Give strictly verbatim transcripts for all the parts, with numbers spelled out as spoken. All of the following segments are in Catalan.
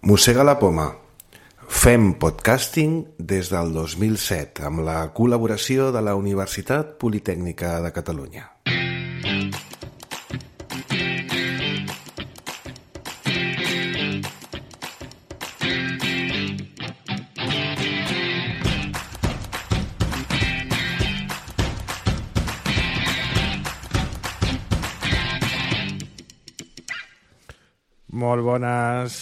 Mossega la poma. Fem podcasting des del dos mil set amb la col·laboració de la Universitat Politècnica de Catalunya. Molt bones.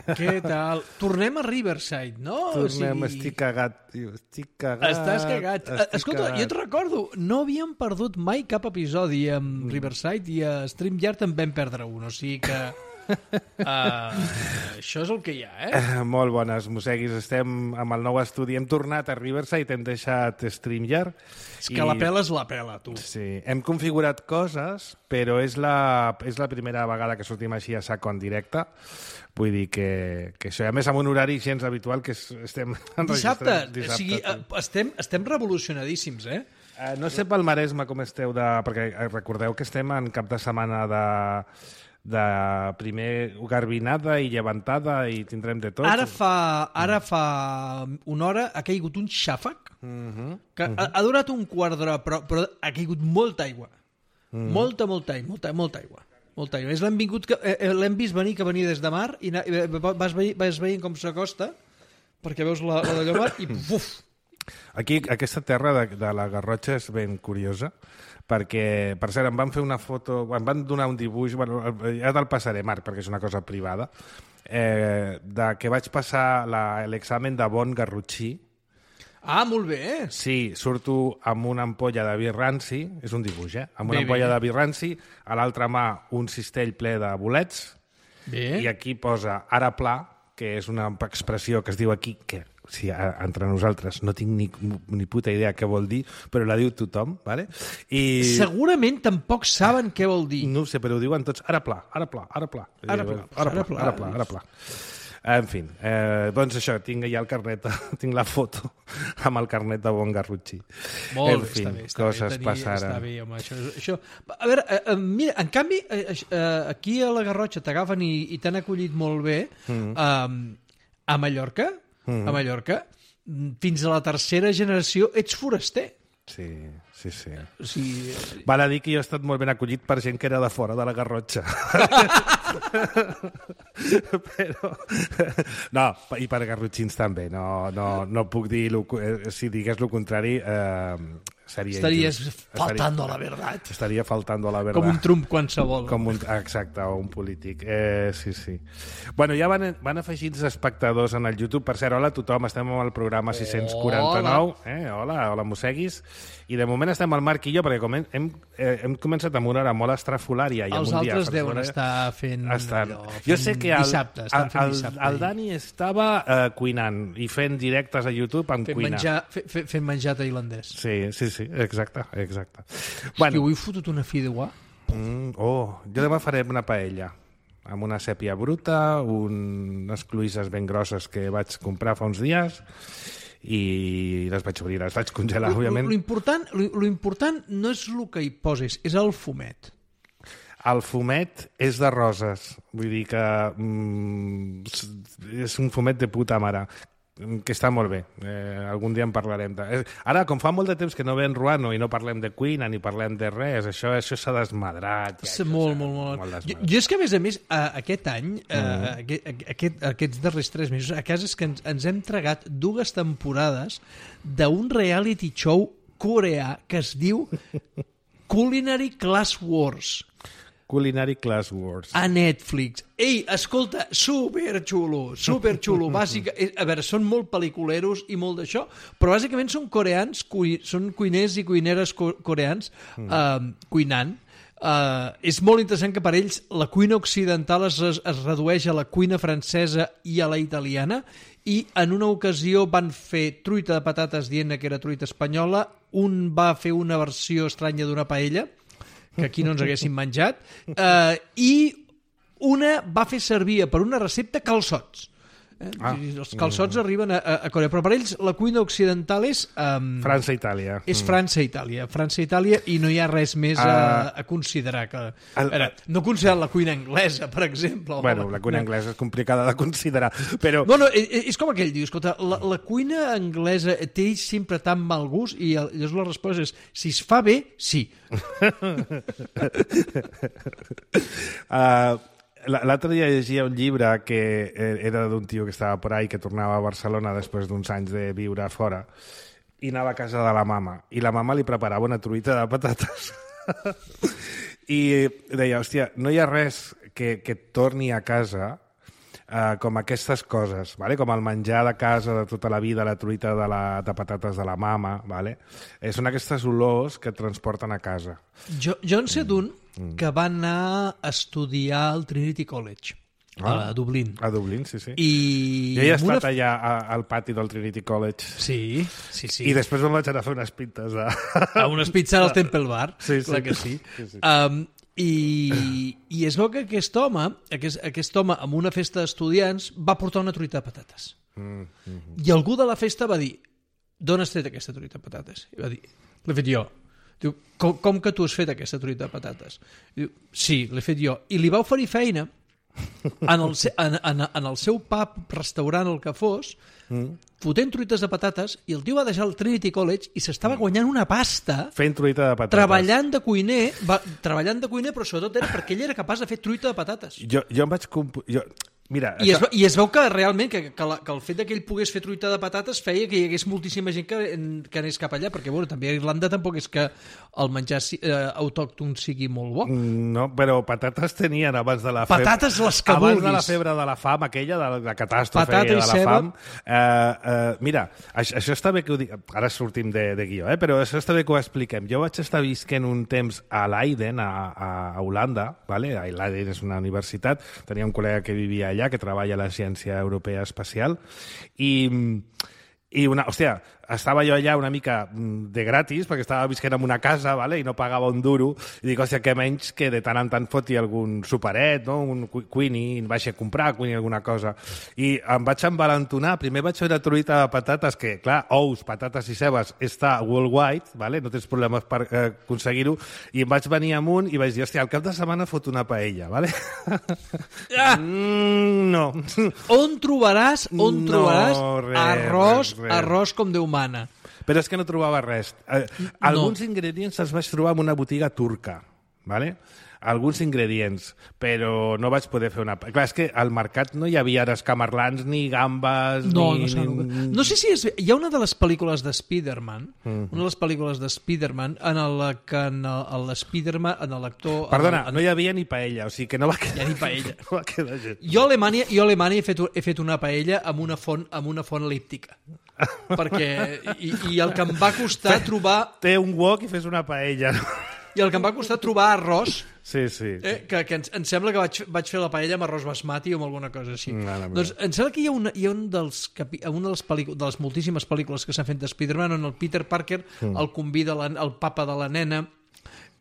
Què tal? Tornem a Riverside, no? Tornem, o sigui... estic cagat, tio. Estic cagat. Estàs cagat. Estic Escolta, cagat. jo et recordo, no havíem perdut mai cap episodi amb mm. Riverside i a StreamYard en vam perdre un, o sigui que... Uh, això és el que hi ha, eh? Uh, molt bones, mosseguis. Estem amb el nou estudi. Hem tornat a Riverside, hem deixat StreamYard. És que i... la pela és la pela, tu. Sí, hem configurat coses, però és la, és la primera vegada que sortim així a saco en directe. Vull dir que, que això, a més, amb un horari gens habitual que estem enregistrant dissabte. O sigui, estem, estem revolucionadíssims, eh? Uh, no sé pel Maresme com esteu, de, perquè recordeu que estem en cap de setmana de... de primer garbinada i llevantada i tindrem de tot. Ara fa, ara fa una hora ha caigut un xàfec uh-huh, que uh-huh. ha, ha durat un quart d'hora, però, però ha caigut molta aigua. Uh-huh. Molta, molta aigua. Molta, molta aigua. Molta aigua. És l'hem vingut que, eh, l'hem vist venir que venia des de mar i na, vas, veient, vas veient com s'acosta perquè veus la, la d'allò mar i buf! Aquí, aquesta terra de, de la Garrotxa és ben curiosa perquè, per cert, em van fer una foto, em van donar un dibuix, bueno, ja te'l passaré, Marc, perquè és una cosa privada, eh, de que vaig passar la, l'examen de bon garrotxí. Ah, molt bé! Sí, surto amb una ampolla de vi ranci, és un dibuix, eh? Amb una bé, ampolla bé. de vi ranci, a l'altra mà un cistell ple de bolets, bé. I aquí posa ara pla, que és una expressió que es diu aquí, que o sigui, entre nosaltres no tinc ni, ni puta idea què vol dir, però la diu tothom, ¿vale? I... Segurament tampoc saben què vol dir. No ho sé, però ho diuen tots, ara pla, ara pla, ara pla. Ara pla, ara pla, ara pla, ara pla, ara pla. En fi, eh, doncs això, tinc ja el carnet, tinc la foto amb el carnet de bon garrotxí. Molt en bé, fi, està bé, està coses bé, tenir, passaren. està bé, home, això, això... A veure, eh, mira, en canvi, eh, aquí a la Garrotxa t'agafen i, i t'han acollit molt bé, mm. eh, a Mallorca, mm. a Mallorca, fins a la tercera generació ets foraster. Sí, sí, sí. O sigui... Val a dir que jo he estat molt ben acollit per gent que era de fora de la Garrotxa. Però... No, i per garrotxins també. No, no, no puc dir... Lo... Si digués el contrari, eh, seria... Estaries injust. faltando a la verdad. Estaria faltando a la verdad. Com un Trump qualsevol. Com un... Exacte, o un polític. Eh, sí, sí. Bueno, ja van, van afegir els espectadors en el YouTube. Per cert, hola a tothom, estem amb el programa sis-cents quaranta-nou. Hola, eh? hola, hola mosseguis. I de moment estem al Marc i jo, perquè com hem, hem, eh, hem començat amb una hora molt estrafolària. I Els un dia altres deuen estar fent... Estan... Allò, fent jo sé que el, dissabte, estan fent el, dissabte. El, el Dani estava eh, cuinant i fent directes a YouTube amb fent cuina. Menjar, fe, fe, fent menjar tailandès. Sí, sí, sí, exacte. exacte. Hosti, Bueno, avui he fotut una fideuà. mm, oh, jo demà faré una paella amb una sèpia bruta, un, unes cloïsses ben grosses que vaig comprar fa uns dies i les vaig obrir, les vaig congelar, Lo, òbviament. lo, important, lo, lo important no és el que hi poses, és el fumet. El fumet és de roses, vull dir que mm, és un fumet de puta mare, que està molt bé. Eh, algun dia en parlarem. De... Ara, com fa molt de temps que no ve en Ruano i no parlem de cuina ni parlem de res, això això s'ha desmadrat. Ja, Sí, molt, molt, molt. molt jo, jo és que, a més a més, uh, aquest any, uh, mm. aquest, aquest, aquests darrers tres mesos, a casa és que ens, ens hem tragat dues temporades d'un reality show coreà que es diu Culinary Class Wars. Culinary Class Wars. A Netflix. Ei, escolta, superxulo, superxulo. Bàsica, a veure, són molt pel·liculeros i molt d'això, però bàsicament són coreans, cui, són cuiners i cuineres co coreans mm. uh, cuinant. Uh, és molt interessant que per ells la cuina occidental es, es redueix a la cuina francesa i a la italiana, i en una ocasió van fer truita de patates dient que era truita espanyola, un va fer una versió estranya d'una paella, que aquí no ens haguéssim menjat, eh, i una va fer servir per una recepta calçots. Eh? Ah. Els calçots mm. arriben a, a Corea, però per ells la cuina occidental és... Um, França i Itàlia. És mm. França i Itàlia. França i Itàlia i no hi ha res més uh, a, a considerar. Que, el, veure, no considerar la cuina anglesa, per exemple. Bueno, la cuina no. anglesa és complicada de considerar, però... No, no, és, és com aquell diu, escolta, la, la cuina anglesa té sempre tan mal gust i llavors la resposta és, si es fa bé, sí. uh, L'altre dia llegia un llibre que era d'un tio que estava por ahí, que tornava a Barcelona després d'uns anys de viure fora, i anava a casa de la mama, i la mama li preparava una truita de patates. I deia, hòstia, no hi ha res que, que torni a casa uh, com aquestes coses, vale? Com el menjar de casa de tota la vida, la truita de, la, de patates de la mama, vale? Eh, són aquestes olors que et transporten a casa. Jo, jo en sé d'un Mm. que va anar a estudiar al Trinity College, ah, a Dublín. A Dublín, sí, sí. I jo he estat una... allà a, al pati del Trinity College. Sí, sí, sí. I després me'n vaig anar a fer unes pintes. De... A unes pizzas al Temple Bar, sí, sí. clar que sí. sí, sí. Um, i, I es veu que aquest home, aquest, aquest home, en una festa d'estudiants, va portar una truita de patates. Mm, mm -hmm. I algú de la festa va dir, d'on has tret aquesta truita de patates? I va dir, l'he fet jo. Diu, com, com que tu has fet aquesta truita de patates? Diu, sí, l'he fet jo. I li va oferir feina en el, en, en, en el seu pub, restaurant, el que fos, mm. fotent truites de patates, i el tio va deixar el Trinity College i s'estava guanyant una pasta fent truita de patates. Treballant de cuiner, va, treballant de cuiner, però sobretot era perquè ell era capaç de fer truita de patates. Jo, jo em vaig... Comp... Jo... Mira, I, això... es, I es veu que realment que, que, la, que el fet que ell pogués fer truita de patates feia que hi hagués moltíssima gent que, que anés cap allà, perquè bueno, també a Irlanda tampoc és que el menjar eh, autòcton sigui molt bo. No, però patates tenien abans de la febre. Patates les que abans vulguis. de la febre de la fam, aquella, de la, la catàstrofe Patata de la ceba. fam. Eh, eh, mira, això, això està bé que ho dic... Ara sortim de, de guió, eh? Però això està bé que ho expliquem. Jo vaig estar visquent un temps a Leiden, a, a Holanda, vale? A Leiden és una universitat, tenia un col·lega que vivia allà, que treballa a la Ciència Europea Espacial, i, i una, hòstia, estava jo allà una mica de gratis, perquè estava visquent en una casa, vale? I no pagava un duro, i dic, hòstia, què menys que de tant en tant foti algun superet, no? Un cuini, em vaig a comprar cuini alguna cosa, i em vaig envalentonar. Primer vaig fer una truita de patates, que, clar, ous, patates i cebes està worldwide, vale? No tens problemes per eh, aconseguir-ho, i em vaig venir amunt i vaig dir, hòstia, al cap de setmana fot una paella, vale? Ah! Mm, no. On trobaràs, on no, trobaràs res, arròs, res, res. arròs com Déu mana. Però és que no trobava res. Eh, alguns no. ingredients els vaig trobar en una botiga turca, ¿vale? Alguns ingredients, però no vaig poder fer una... Clar, és que al mercat no hi havia ara escamarlans, ni gambes, no, ni... No, no, no sé si és... Hi ha una de les pel·lícules de Spider-Man, mm-hmm. una de les pel·lícules de Spider-Man, en la que en l'Spider-Man, en l'actor... Perdona, en... no hi havia ni paella, o sigui que no va quedar... Hi ha ni paella. No va quedar gent. Jo a Alemanya, jo a Alemanya he, fet, he fet una paella amb una font, amb una font elíptica. Perquè... I, I el que em va costar Fe, trobar... Té un wok i fes una paella, no? I el que em va costar trobar arròs, sí, sí. Eh, que, que ens, em sembla que vaig, vaig fer la paella amb arròs basmati o amb alguna cosa així. No, no, doncs em sembla que hi ha, una, hi ha un dels, capi, una de les, de les moltíssimes pel·lícules que s'han fet de Spider-Man on el Peter Parker mm. el convida la, el papa de la nena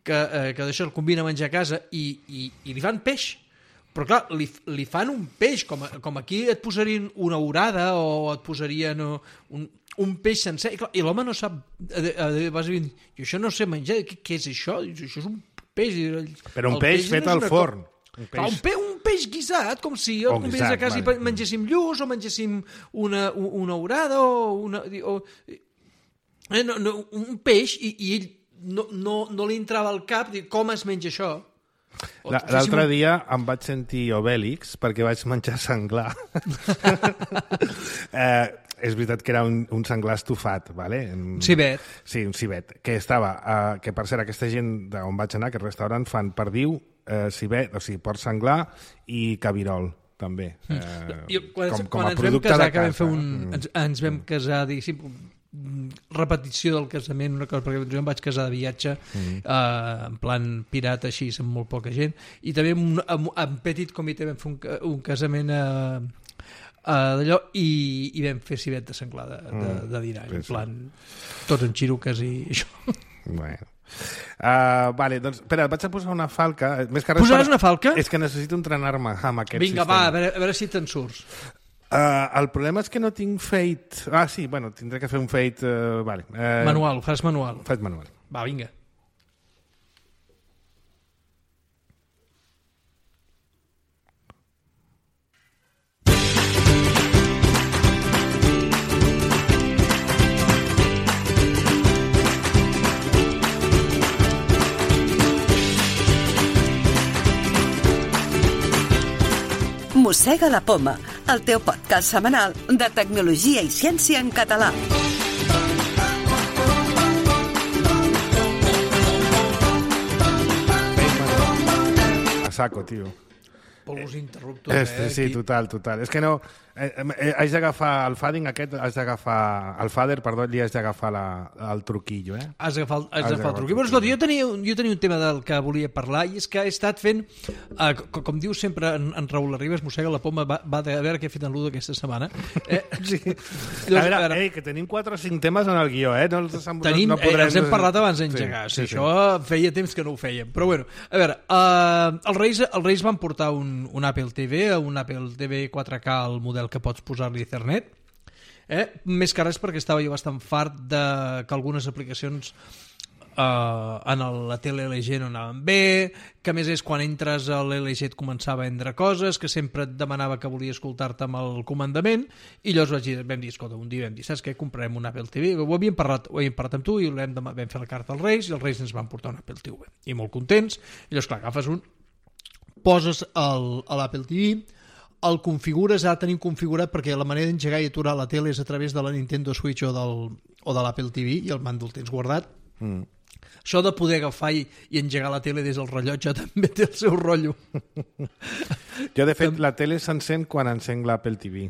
que, eh, que d'això el convida a menjar a casa i, i, i li fan peix. Però clar, li, li fan un peix, com, com aquí et posarien una orada o et posarien un, un peix sencer, i, i l'home no sap, vas dir, jo això no sé menjar, què, què és això? Això és un peix. Però un peix, peix fet al forn. Un peix. Un, pe, un peix guisat, com si jo et convidés a casa vale. I mengéssim lluç o mengéssim una, una orada o una... O, eh, no, no, un peix i, i ell no, no, no li entrava al cap dir, com es menja això? L'altre dia em vaig sentir Obèlix perquè vaig menjar senglar. eh, és veritat que era un, un senglar estufat, ¿vale? Un cibet. Sí, un cibet, que estava, eh, que per cert, aquesta gent d'on vaig anar, aquest restaurant, fan perdiu, eh, cibet, o sigui, porc senglar i cabirol, també. Eh, jo, quan com, com a ens producte vam casar, de casa. Que vam fer un, ens, ens vam casar, diguéssim, repetició del casament, una cosa, perquè jo em vaig casar de viatge mm. eh, en plan pirata així, amb molt poca gent, i també amb, amb, amb petit comitè vam fer un, un casament eh, eh, d'allò i, i vam fer civet de senglar de, de, de dinar, mm. en plan tots en xiruques i això. Bueno. Uh, vale, doncs, espera, vaig a posar una falca. Més que res Posaràs per... una falca? És que necessito entrenar-me amb aquest Vinga, sistema. va, a veure, a veure si te'n surts. Uh, el problema és que no tinc fade... Ah, sí, bueno, tindré que fer un fade... Uh, vale. uh, Manual, fas manual. Faig manual. Va, vinga. Mossega la Poma, el teu podcast setmanal de tecnologia i ciència en català. A saco, tio. Polos interruptors, Este, eh? sí, total, total. És que no... Eh, eh, haig d'agafar el fading aquest, haig d'agafar... El fader, perdó, li haig d'agafar la, el truquillo, eh? Has d'agafar el, has Has d'agafar el d'agafar truc. el Però, escolta, jo tenia, un- jo tenia un tema del que volia parlar i és que he estat fent, eh, com, com diu sempre en, en Raül Arribas, mossega la poma, va, va de, a veure què he fet en l'U aquesta setmana. Eh, Sí. Llavors, a veure, a veure, ei, que tenim quatre o cinc temes en el guió, eh? No els, no, Tenim, no podrem... eh, els hem parlat abans d'engegar, sí, sí, sí, això feia temps que no ho fèiem. Però bueno, a veure, eh, els, Reis, els Reis van portar un, un Apple T V, un Apple T V quatre K, el model que pots posar-li Ethernet, eh? Més que res perquè estava jo bastant fart de que algunes aplicacions Uh, en el, la tele L G no anaven bé, que a més és quan entres a l'L G et començava a vendre coses, que sempre et demanava que volia escoltar-te amb el comandament, i llavors vaig dir, vam dir, escolta, un dia vam dir, saps què, comprarem un Apple T V, ho havíem parlat, ho havíem parlat amb tu i vam, vam fer la carta als Reis i els Reis ens van portar un Apple T V i molt contents, i llavors clar, agafes un, poses el, a l'Apple T V, el configures, ara tenim configurat perquè la manera d'engegar i aturar la tele és a través de la Nintendo Switch o, del, o de l'Apple T V i el mando el tens guardat. Mm. Això de poder agafar i, i engegar la tele des del rellotge també té el seu rotllo. Jo, de fet, la tele s'encén quan encenc l'Apple T V.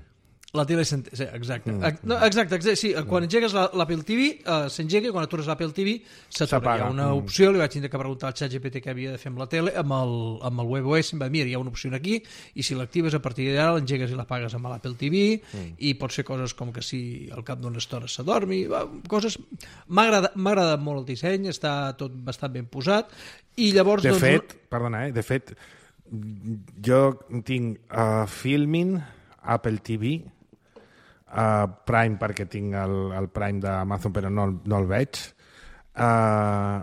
La tele s'ent... sí, exacte. Mm. No, exacte, exacte, sí, quan engegues la- l'Apple T V uh, s'engega i quan atures l'Apple T V s'atura. S'apaga. Hi ha una Mm. opció, li vaig tindre que preguntar al ChatGPT què havia de fer amb la tele, amb el, amb el WebOS em va dir, mira, hi ha una opció aquí i si l'actives a partir d'ara l'engegues i l'apagues amb l'Apple T V mm. i pot ser coses com que si al cap d'una estona s'adormi, va, coses... M'ha agradat, m'ha agradat molt el disseny, està tot bastant ben posat i llavors... De doncs, fet, perdona, eh? De fet, jo tinc uh, Filmin, Apple T V, uh, Prime perquè tinc el, el Prime d'Amazon però no, el- no el veig, uh,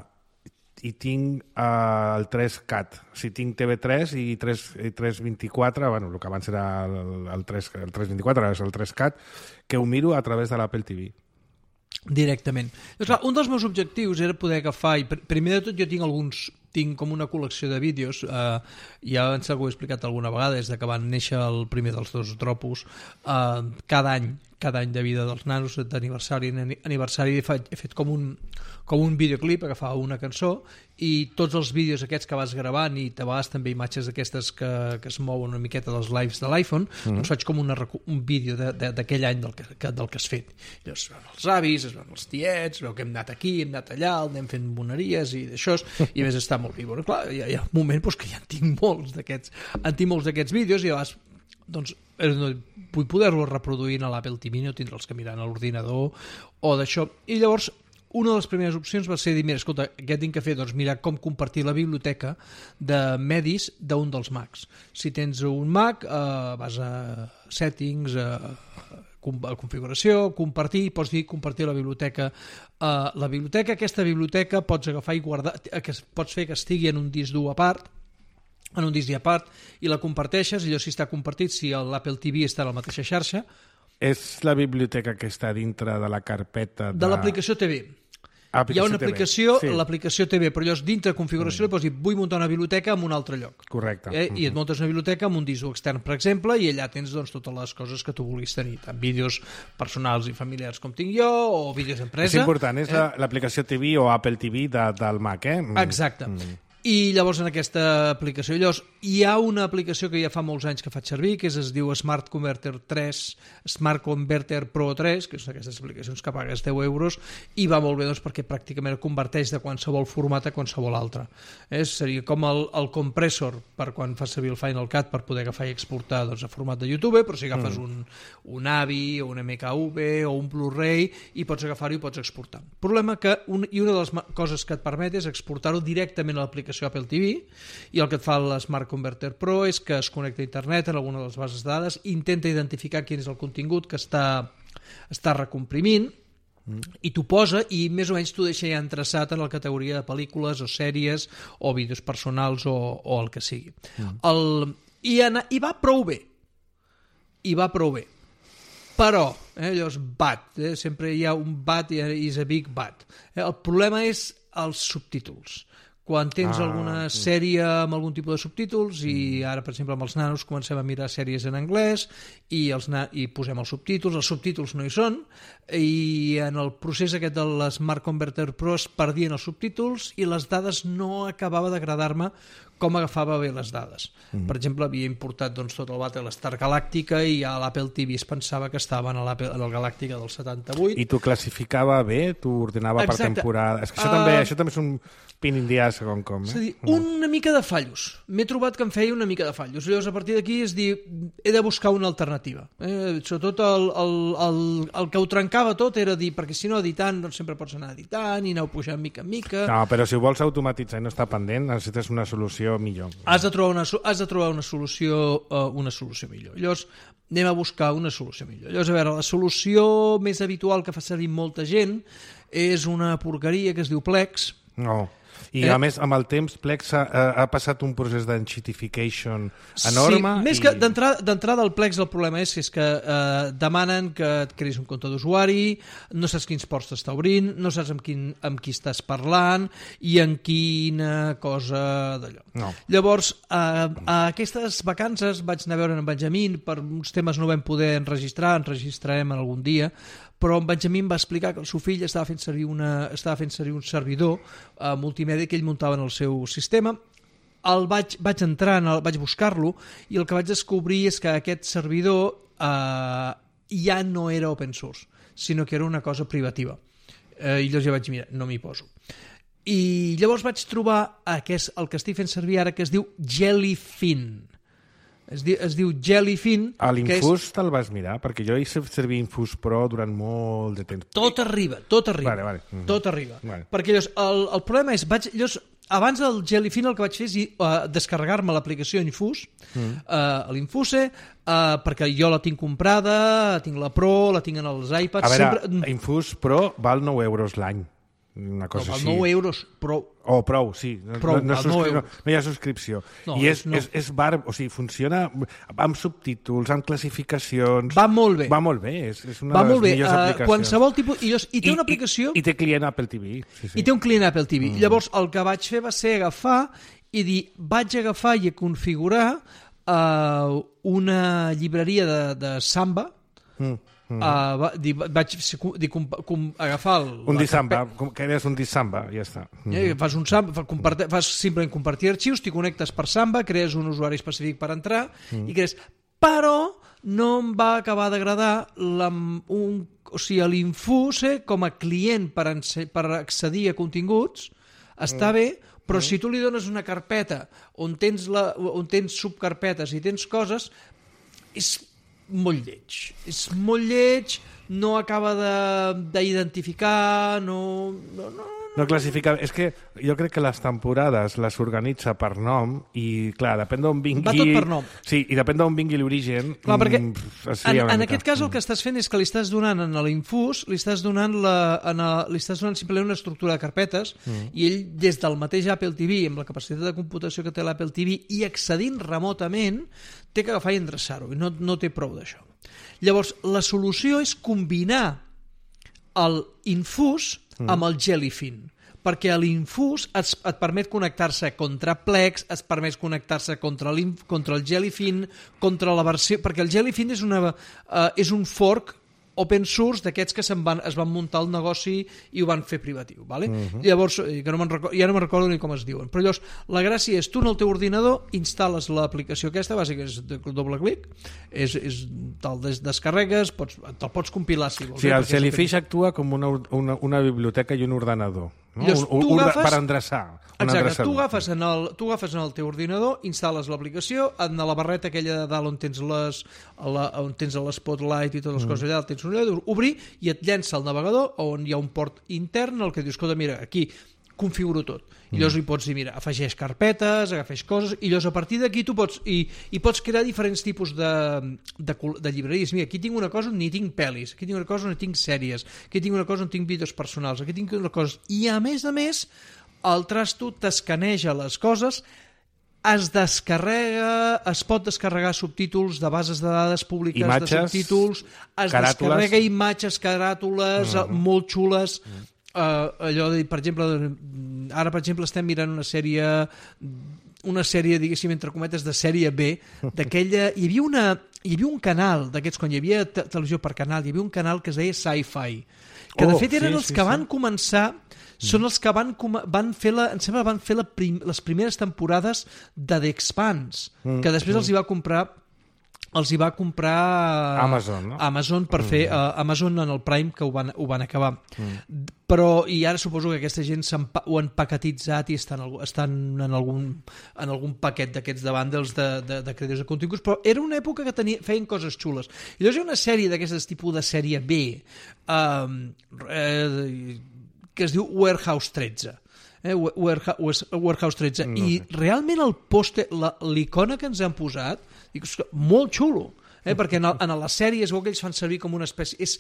i tinc uh, el tres cat, o sigui, tinc T V tres i tres, i tres vint-i-quatre, bueno, el que abans era el, el, tres, el tres vint-i-quatre, ara és el tres cat, que ho miro a través de l'Apple T V. Directament. Doncs, clar, un dels meus objectius era poder agafar, i pr- primer de tot jo tinc alguns, tinc com una col·lecció de vídeos, eh, ja em sembla que ho he explicat alguna vegada, des de que van néixer el primer dels dos tropos, eh, cada any, cada any de vida dels nanos, d'aniversari en aniversari, he fet, he fet com un, com un videoclip, agafava una cançó, i tots els vídeos aquests que vas gravant, i a vegades també imatges d'aquestes que, que es mouen una miqueta dels lives de l'iPhone, mm-hmm. doncs faig com una, recu- un vídeo de- de- d'aquell any del que, que, del que has fet. I llavors es veuen els avis, es veuen els tiets, es veu que hem anat aquí, hem anat allà, anem fent moneries i d'això, i a més està molt bé. Bueno, clar, hi ha, hi ha un moment doncs, que ja en tinc molts d'aquests en tinc molts d'aquests vídeos i a vegades doncs, eh, no, vull poder-los reproduir a l'Apple T V, no tindre'ls que mirar a l'ordinador o d'això. I llavors una de les primeres opcions va ser dir, mira, escolta, què tinc que fer? Doncs mirar com compartir la biblioteca de medis d'un dels Macs. Si tens un Mac, eh, vas a settings, a, a configuració, compartir, pots dir compartir la biblioteca. Eh, la biblioteca, aquesta biblioteca pots agafar i guardar, que pots fer que estigui en un disc dur a part, en un disc a part, i la comparteixes, i allò si està compartit, si l'Apple T V està a la mateixa xarxa, És la biblioteca que està dintre de la carpeta de... de l'aplicació T V. Hi ha una aplicació, sí. l'aplicació T V, però llavors dintre de configuració mm. li pots dir vull muntar una biblioteca en un altre lloc. Correcte. Eh? I et muntes una biblioteca amb un disc extern, per exemple, i allà tens doncs, totes les coses que tu vulguis tenir, tant vídeos personals i familiars com tinc jo, o vídeos d'empresa. És important, és eh? la- l'aplicació T V o Apple T V de, del Mac, eh? Mm. Exacte. Mm. I llavors en aquesta aplicació, llavors hi ha una aplicació que ja fa molts anys que faig servir, que és, es diu Smart Converter tres, Smart Converter Pro tres, que són aquestes aplicacions que pagues deu euros, i va molt bé doncs, perquè pràcticament converteix de qualsevol format a qualsevol altre. Eh? Seria com el, el compressor per quan fas servir el Final Cut per poder agafar i exportar doncs, a format de YouTube, però si agafes mm. un, un A V I o un M K V o un Blu-ray i pots agafar-ho i pots exportar. El problema que un, i una de les coses que et permet és exportar-ho directament a l'aplicació l'aplicació Apple T V, i el que et fa l'Smart Converter Pro és que es connecta a internet en alguna de les bases de dades, intenta identificar quin és el contingut que està, està recomprimint, mm. i t'ho posa, i més o menys t'ho deixa ja entreçat en la categoria de pel·lícules o sèries o vídeos personals o, o el que sigui. Mm. El, i, ana, I va prou bé. I va prou bé. Però, eh, allò és but, eh, sempre hi ha un but i is a big but. Eh, el problema és els subtítols. Quan tens ah, alguna sí. sèrie amb algun tipus de subtítols, i ara, per exemple, amb els nanos comencem a mirar sèries en anglès i, els na- i posem els subtítols, els subtítols no hi són, i en el procés aquest de l'Smart Converter Pro es perdien els subtítols i les dades no acabava d'agradar-me com agafava bé les dades. Mm. Per exemple, havia importat doncs, tot el Battlestar Galàctica i a l'Apple T V es pensava que estava en el Galàctica del setanta-vuit. I t'ho classificava bé? T'ho ordenava Exacte. Per temporada? És que això, uh... també, això també és un pin in the ass, com com. Eh? És a dir, una mica de fallos. M'he trobat que em feia una mica de fallos. Llavors, a partir d'aquí, és dir, he de buscar una alternativa. Eh? Sobretot el, el, el, el que ho trencava tot era dir, perquè si no editant, doncs sempre pots anar editant i anar pujant mica en mica. No, però si ho vols automatitzar i no està pendent, necessites una solució millor. Has de trobar una, has de trobar una solució uh, una solució millor. Llavors, anem a buscar una solució millor. Llavors, a veure, la solució més habitual que fa servir molta gent és una porqueria que es diu Plex. No. I eh? a més, amb el temps, Plex ha, ha passat un procés d'enchitification enorme. Sí, més i... que d'entrada al Plex el problema és, és que eh, demanen que et creïs un compte d'usuari, no saps quins ports t'està obrint, no saps amb, quin, amb qui estàs parlant i en quina cosa d'allò. No. Llavors, eh, a aquestes vacances vaig anar a veure en Benjamín, per uns temes no vam poder enregistrar, enregistrarem algun dia, però en Benjamín va explicar que el seu fill estava fent servir, una, estava fent servir un servidor eh, multimèdia que ell muntava en el seu sistema. El vaig, vaig entrar, en el, vaig buscar-lo, i el que vaig descobrir és que aquest servidor eh, ja no era open source, sinó que era una cosa privativa. Eh, I llavors ja vaig mirar, no m'hi poso. I llavors vaig trobar aquest, el que estic fent servir ara, que es diu Jellyfin. Es diu, es diu Jellyfin. A l'Infus és... te'l vas mirar? Perquè jo he fet servir Infus Pro durant molt de temps. Tot arriba, tot arriba. Vale, vale. Mm-hmm. Tot arriba. Vale. Perquè llavors, el, el problema és, vaig, llavors, abans del Jellyfin el que vaig fer és uh, descarregar-me l'aplicació Infus, mm. uh, l'Infuse, uh, perquè jo la tinc comprada, tinc la Pro, la tinc en els iPads... A veure, sempre... Infus Pro val nou euros l'any. Una cosa no, val així. nou euros, prou. Oh, prou, sí. Prou, no, no, subscri... no, no hi ha subscripció. No, I és, no. és, és bar... o sigui, funciona amb subtítols, amb classificacions... Va molt bé. Va molt bé, és, és una Va de les molt bé. millors Uh, aplicacions. Qualsevol tipus... I, I té I, una aplicació... I, I té client Apple T V. Sí, sí. I té un client Apple T V. Mm. Llavors, el que vaig fer va ser agafar i dir, vaig agafar i configurar uh, una llibreria de, de Samba. Mm. Mm. Uh, va, di, vaig di, com, com, agafar el, un dissamba, que és un dissamba, ja està. Mm. Eh, fas un Samba, fa, compart... fas simplement compartir arxius, t'hi connectes per Samba, crees un usuari específic per entrar mm. i crees... Però no em va acabar d'agradar un, o sigui, l'Infuse com a client per, per accedir a continguts està mm. bé, però mm. si tu li dones una carpeta on tens, la, on tens subcarpetes i tens coses, és molt lleig. És molt lleig, no acaba d'identificar, no... no, no No classifica... És que jo crec que les temporades les organitza per nom i, clar, depèn d'on vingui... Va tot per nom. Sí, i depèn d'on vingui l'origen... Clar, perquè mm, en, en aquest cas el que estàs fent és que li estàs donant en l'Infus, li estàs donant, la, en a, li estàs donant simplement una estructura de carpetes mm. i ell, des del mateix Apple T V, amb la capacitat de computació que té l'Apple T V i accedint remotament, té que agafar i endreçar-ho, i no, no té prou d'això. Llavors, la solució és combinar l'Infus amb el Jellyfin, perquè l'Infus et, et permet connectar-se contra Plex, et permet connectar-se contra, contra el Jellyfin, contra la versió... Perquè el Jellyfin és, una, uh, és un fork open source d'aquests que se'n van, es van muntar el negoci i ho van fer privatiu. Vale? Uh-huh. Llavors, que no recordo, ja no me'n recordo ni com es diuen. Però llavors, la gràcia és, tu en el teu ordinador instal·les l'aplicació aquesta, bàsicament és de doble clic, és, és, te'l des, descarregues, pots, te'l pots compilar si vols. Sí, el Jellyfish actua com una, una, una biblioteca i un ordenador. No? Llavors, un, un, agafes, per endreçar. Exacte, tu agafes, en el, tu agafes en el teu ordinador, instal·les l'aplicació, en la barreta aquella de dalt on tens les, la, on tens l'Spotlight i totes les mm. coses allà, tens un allà, obrir i et llença el navegador on hi ha un port intern el que dius, escolta, mira, aquí configuro tot. I llavors hi pots dir, mira, afegeix carpetes, agafeix coses, i llavors a partir d'aquí tu pots, i, i pots crear diferents tipus de, de, de llibreries. Mira, aquí tinc una cosa on ni tinc pel·lis, aquí tinc una cosa on tinc sèries, aquí tinc una cosa on tinc vídeos personals, aquí tinc una cosa... I a més a més, el Trasto t'escaneja les coses, es descarrega, es pot descarregar subtítols de bases de dades públiques, imatges, de subtítols, es caràtules. descarrega imatges, caràtules, uh-huh. molt xules, uh-huh. uh, allò de, per exemple, ara per exemple estem mirant una sèrie una sèrie, diguéssim, entre cometes, de sèrie B, d'aquella... Hi havia, una, hi havia un canal d'aquests, quan hi havia te televisió per canal, hi havia un canal que es deia Sci-Fi, que de oh, fet eren sí, els sí, que sí. van començar... Són els que van, van fer, la, em sembla, van fer la prim, les primeres temporades de The Expanse, mm, que després mm. els hi va comprar els hi va comprar Amazon, no? Amazon per mm. fer uh, Amazon en el Prime, que ho van, ho van acabar. Mm. Però, i ara suposo que aquesta gent ho han paquetitzat i estan, estan en, algun, en algun paquet d'aquests de bundles de, de, de creadors de continguts, però era una època que tenia, feien coses xules. I llavors hi ha una sèrie d'aquestes tipus de sèrie B, um, eh, que es diu Warehouse tretze. Eh? Warehouse, Warehouse tretze. No I sé. Realment el pòster, l'icona que ens han posat, dic, molt xulo, eh? perquè en, el, en la sèrie es veu que ells fan servir com una espècie... És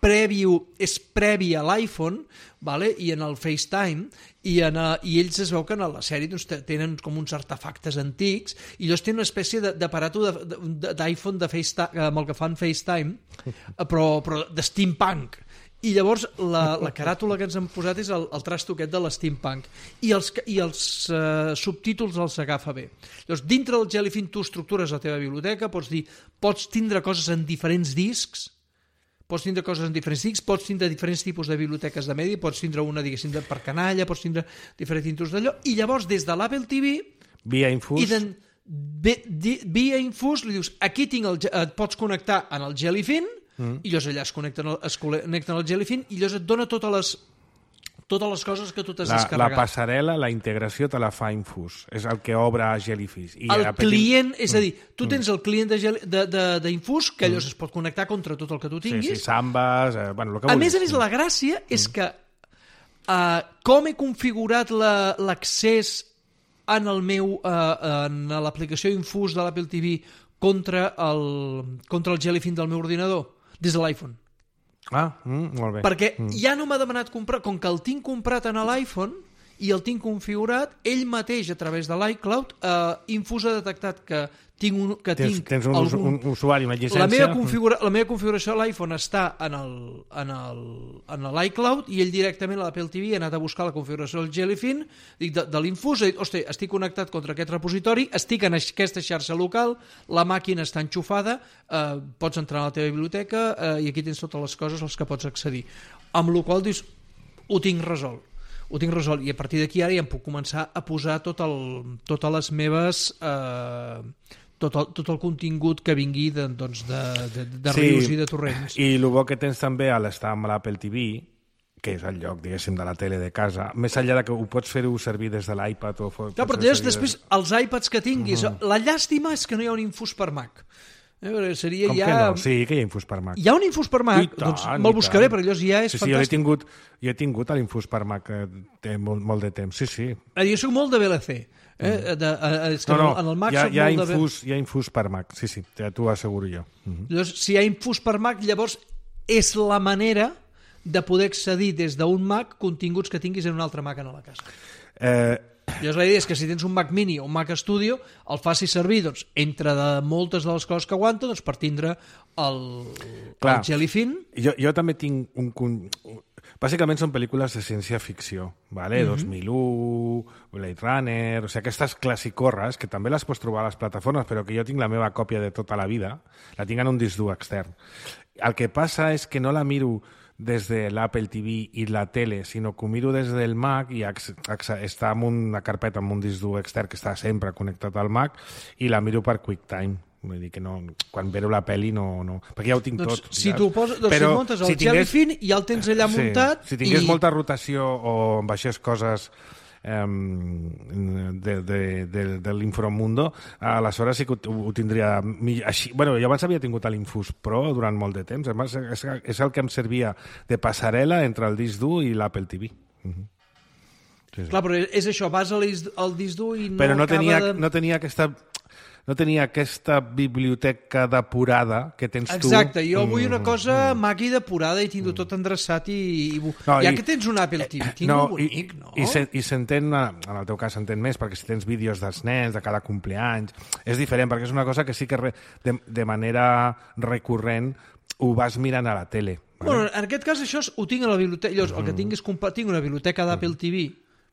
previ, és previ a l'iPhone, vale? I en el FaceTime, i, en, uh, i ells es veu que en la sèrie doncs, tenen com uns artefactes antics, i llavors tenen una espècie d'aparato d'iPhone de, de FaceTime, amb el que fan FaceTime, però, però de steampunk. I llavors la, la caràtula que ens han posat és el, el Trasto aquest de l'steampunk i els, i els uh, subtítols els agafa bé. Llavors dintre del Jellyfin tu estructures la teva biblioteca, pots dir, pots tindre coses en diferents discs, pots tindre coses en diferents discs, pots tindre diferents tipus de biblioteques de medi, pots tindre una, diguéssim, per canalla, pots tindre diferents títols d'allò, i llavors des de l'Apple T V via Infus i de, via Infus li dius, aquí tinc el, et pots connectar en el Jellyfin. Mm. I llavors allà es connecten, es connecten al Jellyfin i llavors et dona totes les, totes les coses que tu t'has descarregat. La passarel·la, la integració te la fa Infus. És el que obre Jellyfish. I el client, petit... és a dir, tu tens el client d'Infus, que llavors mm. es pot connectar contra tot el que tu tinguis. Sí, sí, Sambas, eh, bueno, el que a vulguis. més a més, la gràcia mm. és que uh, com he configurat l'accés en el meu, uh, en l'aplicació Infus de l'Apple T V contra el, contra el Jellyfin del meu ordinador, des de l'iPhone. Ah, mm, molt bé. Perquè mm. ja no m'ha demanat comprar, com que el tinc comprat en l'iPhone i el tinc configurat, ell mateix a través de l'iCloud, eh, Infus ha detectat que tinc un, que tens, tinc tens un, algun... un usuari, una llicència... La meva, configura... la meva configuració a l'iPhone està en el, en el, en l'iCloud i ell directament a l'Apple T V ha anat a buscar la configuració del Jellyfin, dic, de, de l'Infus, ha dit, hosti, estic connectat contra aquest repositori, estic en aquesta xarxa local, la màquina està enxufada, eh, pots entrar a la teva biblioteca eh, i aquí tens totes les coses als que pots accedir. Amb la qual dius, ho tinc resolt. Ho tinc resolt i a partir d'aquí ara ja em puc començar a posar tot el, totes les meves... Eh, tot el, tot el contingut que vingui de, doncs, de, de, de sí, rius i de torrents. I el bo que tens també a l'estar amb l'Apple T V, que és el lloc, diguéssim, de la tele de casa, més enllà de que ho pots fer-ho servir des de l'iPad o... Clar, però llavors, després, des... els iPads que tinguis... Uh -huh. La llàstima és que no hi ha un Infus per Mac. Eh, seria Com ja... que no? Sí, que hi ha Infus per Mac. Hi ha un Infus per Mac? Tant, doncs me'l buscaré, perquè llavors ja és sí, sí, fantàstic. Jo he tingut, jo he tingut l'Infus per Mac eh, té molt, molt de temps, sí, sí. Jo soc molt de V L C. Eh? De, eh, és que no, no, en el Mac hi ha, soc hi ha molt infus, de... hi ha Infus per Mac, sí, sí, t'ho asseguro jo. Uh -huh. Llavors, si hi ha Infus per Mac, llavors és la manera de poder accedir des d'un Mac continguts que tinguis en un altre Mac en la casa. Eh... Llavors la idea és que si tens un Mac Mini o un Mac Studio, el facis servir doncs, entre de moltes de les coses que aguanta doncs, per tindre el, Clar, el Jellyfin. Jo, jo també tinc un... un bàsicament són pel·lícules de ciència-ficció, ¿vale? Mm-hmm. dos mil u, Blade Runner... O sigui, aquestes classicorres, que també les pots trobar a les plataformes, però que jo tinc la meva còpia de tota la vida, la tinc en un disc dur extern. El que passa és que no la miro des de l'Apple T V i la tele, sinó que ho miro des del Mac i està en una carpeta amb un disc dur extern que està sempre connectat al Mac i la miro per QuickTime. Vull dir que no, quan veure la pel·li no, no... Perquè ja ho tinc doncs, tot. Si tu poses, doncs però si muntes el si tingués, Jellyfin i ja el tens allà sí, muntat... Si tingués i... molta rotació o baixés coses um, de, de, de, de l'Inframundo, aleshores sí que ho, ho tindria... Així, bueno, jo abans havia tingut l'Infus Pro durant molt de temps. Además, és, és el que em servia de passarel·la entre el disc dur i l'Apple T V. Uh -huh. Sí, sí. Clar, però és això, vas al disc dur i no Però no acaba tenia, de... no tenia aquesta... No tenia aquesta biblioteca depurada que tens tu. Exacte, jo vull una cosa mm. maca i depurada i tinc-ho tot endreçat i... i... No, ja i... que tens un Apple T V, tinc no, bonic, i, no? I, se, i s'entén, en el teu cas s'entén més, perquè si tens vídeos dels nens, de cada compleanys, és diferent, perquè és una cosa que sí que re, de, de manera recurrent ho vas mirant a la tele. Vale? Bueno, en aquest cas això ho tinc a la biblioteca, llavors el que tinc és tinc una biblioteca d'Apple T V,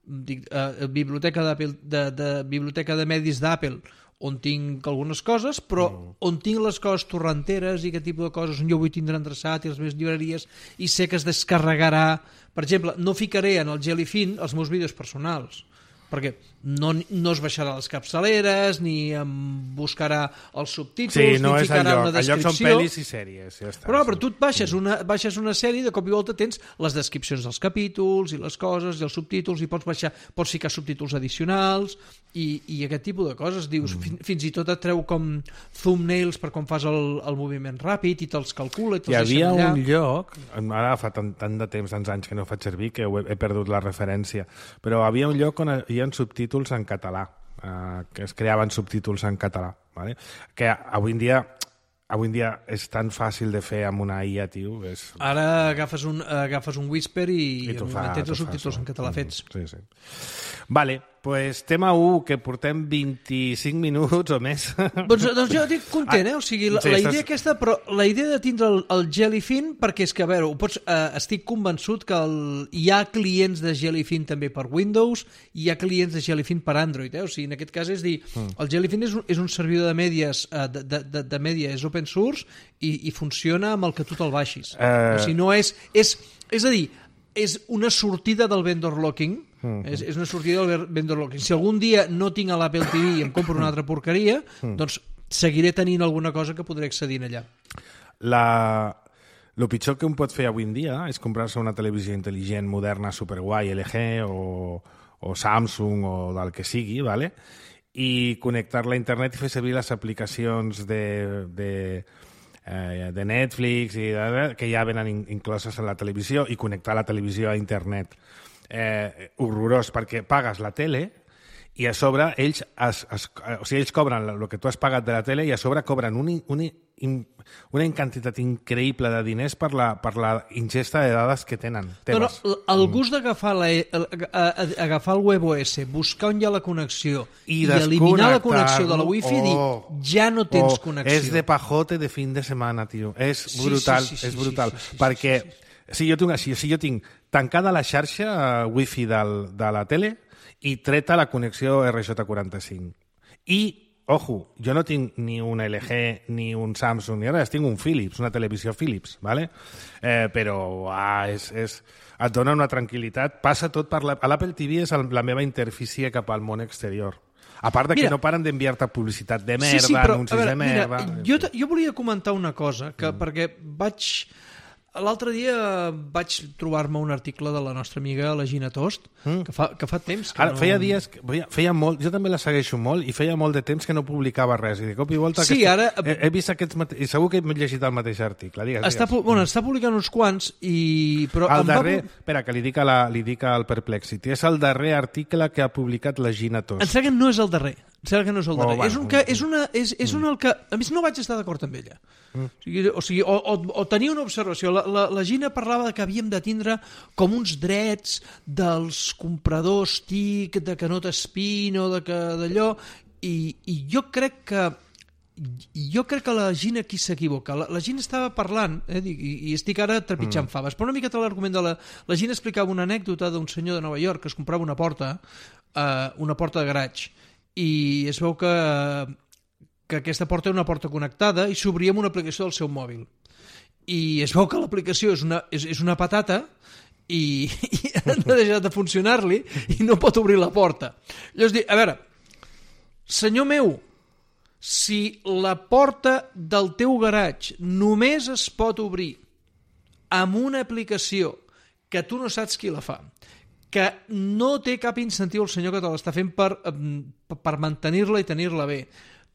dic, uh, biblioteca d'Apple, de, de, biblioteca de medis d'Apple, on tinc algunes coses, però mm. on tinc les coses torrenteres i aquest tipus de coses on jo vull tindre endreçat i les meves llibreries i sé que es descarregarà. Per exemple, no ficaré en el Jellyfin els meus vídeos personals, perquè no, no es baixarà les capçaleres, ni em buscarà els subtítols, sí, no ni és ficarà el lloc. una descripció. El lloc són pel·lis i sèries. Ja està, però, sí. però tu et baixes una, baixes una sèrie i de cop i volta tens les descripcions dels capítols i les coses i els subtítols i pots baixar, pots ficar subtítols addicionals i, i aquest tipus de coses. Dius, mm. fin, fins i tot et treu com thumbnails per quan fas el, el moviment ràpid i te'ls calcula i te'ls deixa allà. Hi havia un lloc, ara fa tant, tant de temps, tants anys que no ho faig servir que he, he perdut la referència, però havia un lloc on hi ha subtítols en català, eh, que es creaven subtítols en català, ¿vale? Que avui en dia avui en dia és tan fàcil de fer amb una I A, tio. És... Ara agafes un, agafes un Whisper i, I en un moment tens els subtítols en català fets. Sí, sí. Vale, pues tema u, que portem vint-i-cinc minuts o més. Doncs, doncs jo estic content, eh? O sigui, la, sí, la idea estàs... aquesta, però la idea de tindre el, el Jellyfin, perquè és que, a veure, ho pots, eh, estic convençut que el, hi ha clients de Jellyfin també per Windows, i hi ha clients de Jellyfin per Android, eh? O sigui, en aquest cas és dir, mm. el Jellyfin és un, és un servidor de mèdies, eh, de, de, de, de mèdia, és open source, i, i funciona amb el que tu te'l baixis. Uh... O sigui, no és, és... És a dir, és una sortida del vendor locking, mm. és, és una sortida del vendor locking. Si algun dia no tinc a l'Apple T V i em compro una altra porqueria, mm. doncs seguiré tenint alguna cosa que podré accedir allà. La... El pitjor que un pot fer avui en dia és comprar-se una televisió intel·ligent, moderna, superguai, L G o, o Samsung o del que sigui, ¿vale? I connectar-la a internet i fer servir les aplicacions de... de de Netflix i de, que ja venen incloses en la televisió i connectar la televisió a internet. Eh, horrorós, perquè pagues la tele i a sobre ells, es, es, o sigui, ells cobren el que tu has pagat de la tele i a sobre cobren un, un, una quantitat increïble de diners per la, per la ingesta de dades que tenen. No, no, el gust d'agafar la, agafar el WebOS, buscar on hi ha la connexió i, i eliminar la connexió de la Wi-Fi, oh, dir, ja no tens oh, connexió. És de pajote de fin de setmana, tio. És brutal, sí, sí, sí, és brutal. Sí, sí, sí, perquè sí, sí, sí. Si, jo tinc, si, si jo tinc tancada la xarxa uh, Wi-Fi del, de la tele i treta la connexió R J quaranta-cinc. I ojo, jo no tinc ni un L G, ni un Samsung, ni res, tinc un Philips, una televisió Philips, ¿vale? Eh, però ah, és, és, et dona una tranquil·litat. Passa tot per la... L'Apple T V és el, la meva interfície cap al món exterior. A part de que mira, no paren d'enviar-te publicitat de merda, sí, sí, però, anuncis veure, de merda... Mira, jo, jo volia comentar una cosa, que, mm. perquè vaig... L'altre dia vaig trobar-me un article de la nostra amiga, la Gina Tost, mm. que, fa, que fa temps que Ara, no... Feia dies, que, feia molt, jo també la segueixo molt, i feia molt de temps que no publicava res, i de cop i volta... Sí, aquesta, ara... He, he vist aquests mate... i segur que he llegit el mateix article. Digues, està, digues. Bueno, està publicant uns quants, i... Però el darrer... va... Espera, que li dic, a la, li dic al Perplexity. És el darrer article que ha publicat la Gina Tost. Em sembla que no és el darrer. Em sembla que no és el darrer. Oh, bueno, és un que... És, una, és, és mm. un el que... A més, no vaig estar d'acord amb ella. Mm. O sigui, o, sigui o, o, o tenia una observació. La, la, la Gina parlava de que havíem de tindre com uns drets dels compradors tic, de que no t'espin o de que d'allò, i, i jo crec que jo crec que la Gina aquí s'equivoca. La, la Gina estava parlant, eh, i, i estic ara trepitjant mm. faves, però una miqueta l'argument de la... La Gina explicava una anècdota d'un senyor de Nova York que es comprava una porta, eh, una porta de garatge, i es veu que, que aquesta porta era una porta connectada i s'obria amb una aplicació del seu mòbil. I es veu que l'aplicació és una, és, és una patata i, i ha deixat de funcionar-li i no pot obrir la porta. Llavors dic, a veure, senyor meu, si la porta del teu garatge només es pot obrir amb una aplicació que tu no saps qui la fa, que no té cap incentiu el senyor que te l'està fent per, per mantenir-la i tenir-la bé,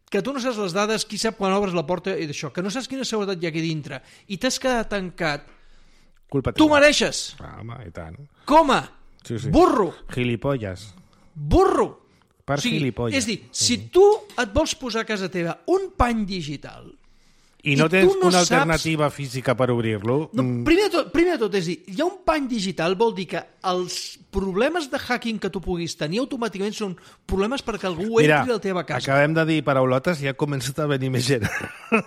que tu no saps les dades, qui sap quan obres la porta i d'això, que no saps quina seguretat hi ha aquí dintre, i t'has quedat tancat, culpa tu mereixes. Ah, home, i tant. Com a? Sí, sí. Burro! Gilipolles. Burro! Per o sigui, gilipolles. És a dir, si tu et vols posar a casa teva un pany digital I no I tens tu no una saps- alternativa física per obrir-lo, No, mm, primer, de tot, primer de tot, és a dir, hi ha un pany digital, vol dir que els problemes de hacking que tu puguis tenir automàticament són problemes perquè algú mira, entri a la teva casa. acabem de dir paraulotes i ja ha començat a venir més gent.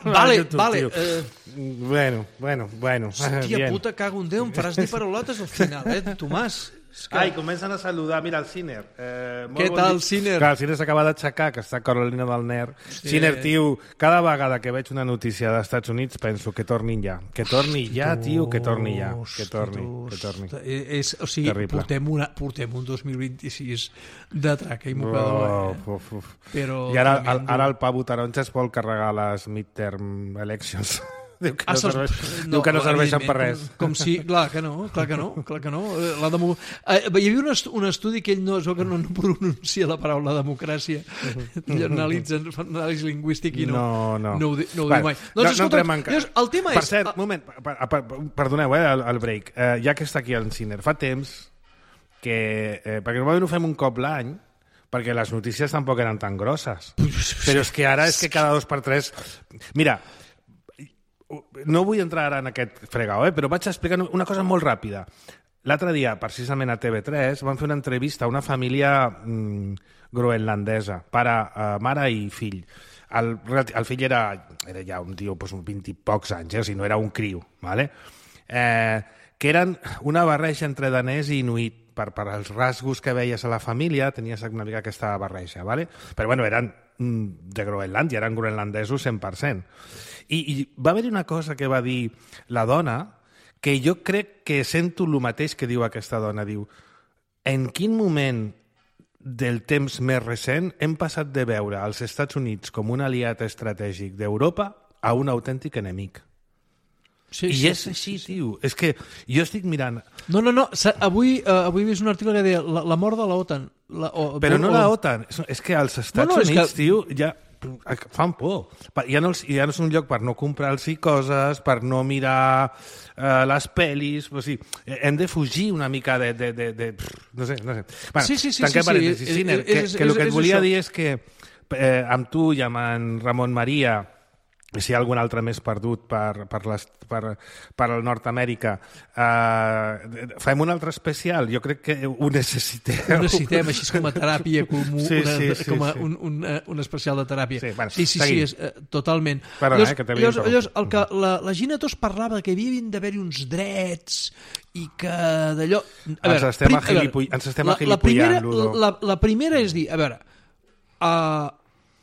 Vale, YouTube, vale. tio. Eh, Bueno, bueno, bueno. hòstia Bien. puta, cago en Déu, em faràs dir paraulotes al final, eh, Tomàs? És que... Ai, comencen a saludar. Mira, el Ciner. Eh, molt Què bon tal, dia. Ciner? Clar, el Ciner s'acaba d'aixecar, que està a Carolina del Nord. Sí. Ciner, tio, cada vegada que veig una notícia dels Estats Units penso que tornin ja. Que torni ja, tio, que torni ja. Que torni, que torni. És, o sigui, Terrible. portem, una, portem un dos mil vint-i-sis de traca i mocador. Uf, uf, uf. Però I ara, tremendo. ara el Pavo Taronja es vol carregar les midterm elections. Diu que no, Ah, se'ls- serveix, diu que no serveixen per res. evidentment, Com, com si... Clar que no, clar que no, clar que no. Eh, La demo... eh, hi havia un, est un estudi que ell no, es veu que no, no pronuncia la paraula democràcia. Ell analitza, fa anàlisi lingüístic i no, No, no. no ho, di, no ho Bueno, diu mai. no- no escolta, entrem en ca- llavors, el tema Per és... cert, ah, un moment, per, per, perdoneu, eh, el, el break. Eh, ja que està aquí el Ciner, fa temps que... Eh, perquè normalment ho fem un cop l'any, perquè les notícies tampoc eren tan grosses. Però és que ara és que cada dos per tres... Mira, no vull entrar ara en aquest fregau, eh, però vaig explicar una cosa molt ràpida. L'altre dia, precisament a T V tres, van fer una entrevista a una família mm, groenlandesa, pare, eh, mare i fill. El, el fill era, era ja un tio doncs, vint i pocs anys, eh? O sigui, no era un criu, ¿vale? eh, que eren una barreja entre danès i inuit. Per, per els rasgos que veies a la família, tenies una mica aquesta barreja, ¿vale? Però bueno, eren mm, de Groenlàndia, eren groenlandesos cent per cent. I, I va haver-hi una cosa que va dir la dona, que jo crec que sento el mateix que diu aquesta dona. Diu, en quin moment del temps més recent hem passat de veure els Estats Units com un aliat estratègic d'Europa a un autèntic enemic? sí, I sí, és sí, així, sí. tio. És que jo estic mirant... No, no, no. sa- Avui, uh, avui he vist un article que deia la, la mort de la OTAN. La, o, Però no o, la OTAN, és, és que als Estats No, no, és Units, que- tio, ja fan por. Pa- Ja no, els- ja no és un lloc per no comprar-los coses, per no mirar eh, les pel·lis... O sigui, hem de fugir una mica de... de, de, de no sé, no sé. Bueno, Sí, sí, sí, tanquem sí, sí, parèntesis. és- Ciner, és- que, és- que el que és et volia això. dir és que eh, amb tu i amb en Ramon Maria, i si hi ha algun altre més perdut per, per, les, per, per el Nord-Amèrica, eh, fem un altre especial. Jo crec que ho necessiteu. Ho necessitem així com a teràpia, com, Sí, una, sí, sí, com a sí. un, un, eh, un especial de teràpia. Sí, bueno, sí, sí, sí, seguim. és, eh, totalment. Perdona, eh, que t'havia llavors, llavors, el interromput. que la, la Gina Tos parlava que havia d'haver-hi uns drets i que d'allò... A Ens estem prim- a veure, agilipoll- ens estem la, la, agilipollant, primera, Ludo. la, la primera és dir, a veure, uh,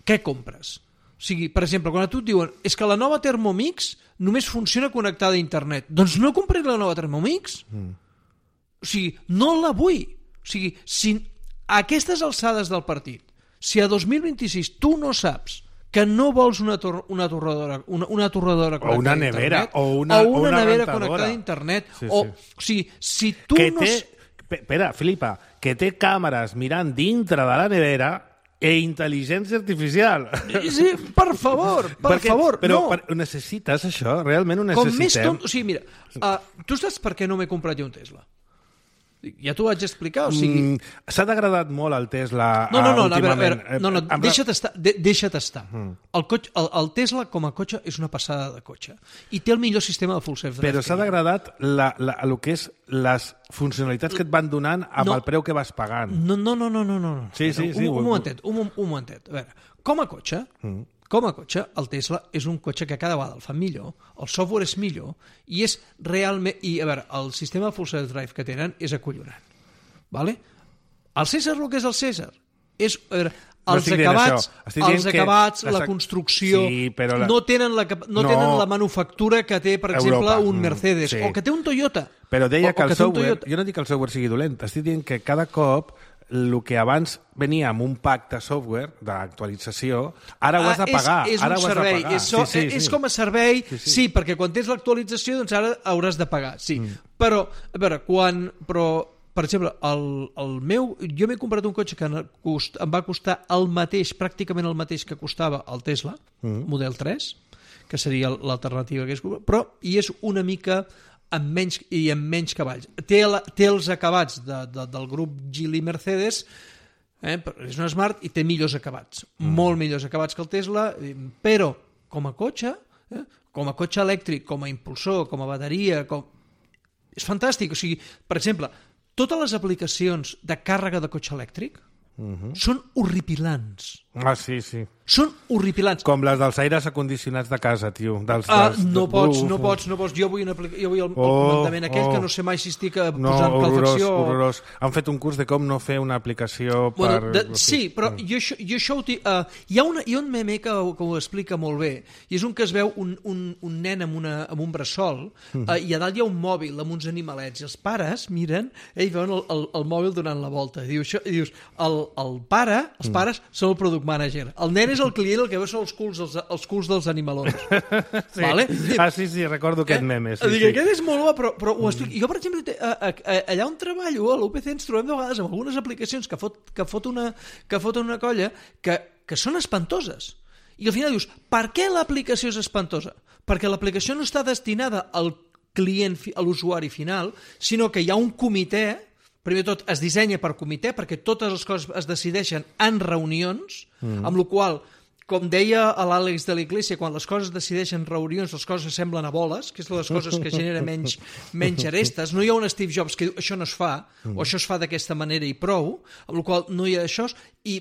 què compres? O sigui, per exemple, quan a tu et diuen és que la nova Thermomix només funciona connectada a internet. Doncs no compré la nova Thermomix. Mm. O sigui, no la vull. O sigui, si a aquestes alçades del partit, si a dos mil vint-i-sis tu no saps que no vols una, tor una torradora una, una torradora O una connectada a nevera, internet, o una- o una, una nevera rentadora. connectada a internet, Sí, o, sí. o sigui, si tu que no... té, s- pe- espera, Filipa, que té càmeres mirant dintre de la nevera e intel·ligència artificial. Sí, per favor, per Perquè- favor, però no. per, necessites això? Realment ho Com més necessitem? tonto... O sigui, mira, uh, tu saps per què no m'he comprat jo un Tesla? Ja t'ho vaig explicar, o sigui... Mm, S'ha degradat molt el Tesla No, no, no, uh, a veure, a últimament. veure, no, no, Eh, amb- deixa't estar, de, deixa't estar. El, cotxe, el, el Tesla com a cotxe és una passada de cotxe i té el millor sistema de full self-drive. Però s'ha que hi ha. degradat la, la, el que és les funcionalitats que et van donant amb No. el preu que vas pagant. No, no, no, no, no, no. Sí, sí, sí, Un, ho- un momentet, un, un momentet. A veure, com a cotxe, mm. com a cotxe, el Tesla és un cotxe que cada vegada el fan millor, el software és millor i és realment... I, a veure, el sistema de full self-drive que tenen és acollonant. Vale? El César, el que és el César, és... A veure, No els estic dient acabats, això. Estic dient els que acabats les la ac- construcció, Sí, però la- no tenen, la, cap- no No. tenen la manufactura que té, per exemple, Europa. un Mercedes, Mm, sí. o que té un Toyota. Però deia o, que o el té un software... Toyota. Jo no dic que el software sigui dolent, estic dient que cada cop el que abans venia amb un pack de software, d'actualització, ara ho has de pagar. Ah, és, és ara un ho has servei. de pagar. És, so, sí, sí, és sí. com a servei, sí, Sí, sí. sí. sí, perquè quan tens l'actualització, doncs ara hauràs de pagar, sí. Mm. Però, a veure, quan... Però, per exemple, el, el meu... Jo m'he comprat un cotxe que en cost, em va costar el mateix, pràcticament el mateix que costava el Tesla, mm. Model tres, que seria l'alternativa que és... Però, i és una mica amb menys, i amb menys cavalls. Té, la, té els acabats de, de, del grup Geely Mercedes, eh? És una Smart i té millors acabats, mm. molt millors acabats que el Tesla, però com a cotxe, eh? com a cotxe elèctric, com a impulsor, com a bateria, com... és fantàstic. O sigui, per exemple, totes les aplicacions de càrrega de cotxe elèctric uh-huh. són horripilants. Ah, sí, sí. Són horripilants. Com les dels aires acondicionats de casa, tio. Dels, ah, dels, no de... pots, Uf, no pots, no pots. Jo vull, una aplica... jo vull el, oh, el comandament aquell oh. que no sé mai si estic posant no, horrorós, calefacció. Horrorós. Han fet un curs de com no fer una aplicació bueno, per... De, sí, però mm. jo, això, jo això ho... Uh, hi, ha una, hi ha un meme que, que ho explica molt bé, i és un que es veu un, un, un nen amb, una, amb un bressol, mm. uh, i a dalt hi ha un mòbil amb uns animalets, i els pares miren, eh, i veuen el, el, el mòbil donant la volta. I, diu, això, i dius, el, el pare, els pares, mm. són el product manager. El nen és el client, el que veu són els culs, els, els culs dels animalons. sí. Vale? Ah, sí, sí, recordo aquest eh? meme. Sí, Dic, sí. Aquest és molt bo, però, però ho explico. Jo, per exemple, a, a, a, allà on treballo, a l'U P C, ens trobem de vegades amb algunes aplicacions que fot, que fot, una, que fot una colla que, que són espantoses. I al final dius, per què l'aplicació és espantosa? Perquè l'aplicació no està destinada al client, a l'usuari final, sinó que hi ha un comitè. Primer de tot, es dissenya per comitè, perquè totes les coses es decideixen en reunions, mm. amb la qual, com deia l'Àlex de l'Iglésia, quan les coses decideixen en reunions, les coses semblen a boles, que és les coses que genera menys, menys arestes. No hi ha un Steve Jobs que diu això no es fa, mm. o això es fa d'aquesta manera i prou, amb la qual no hi ha això, i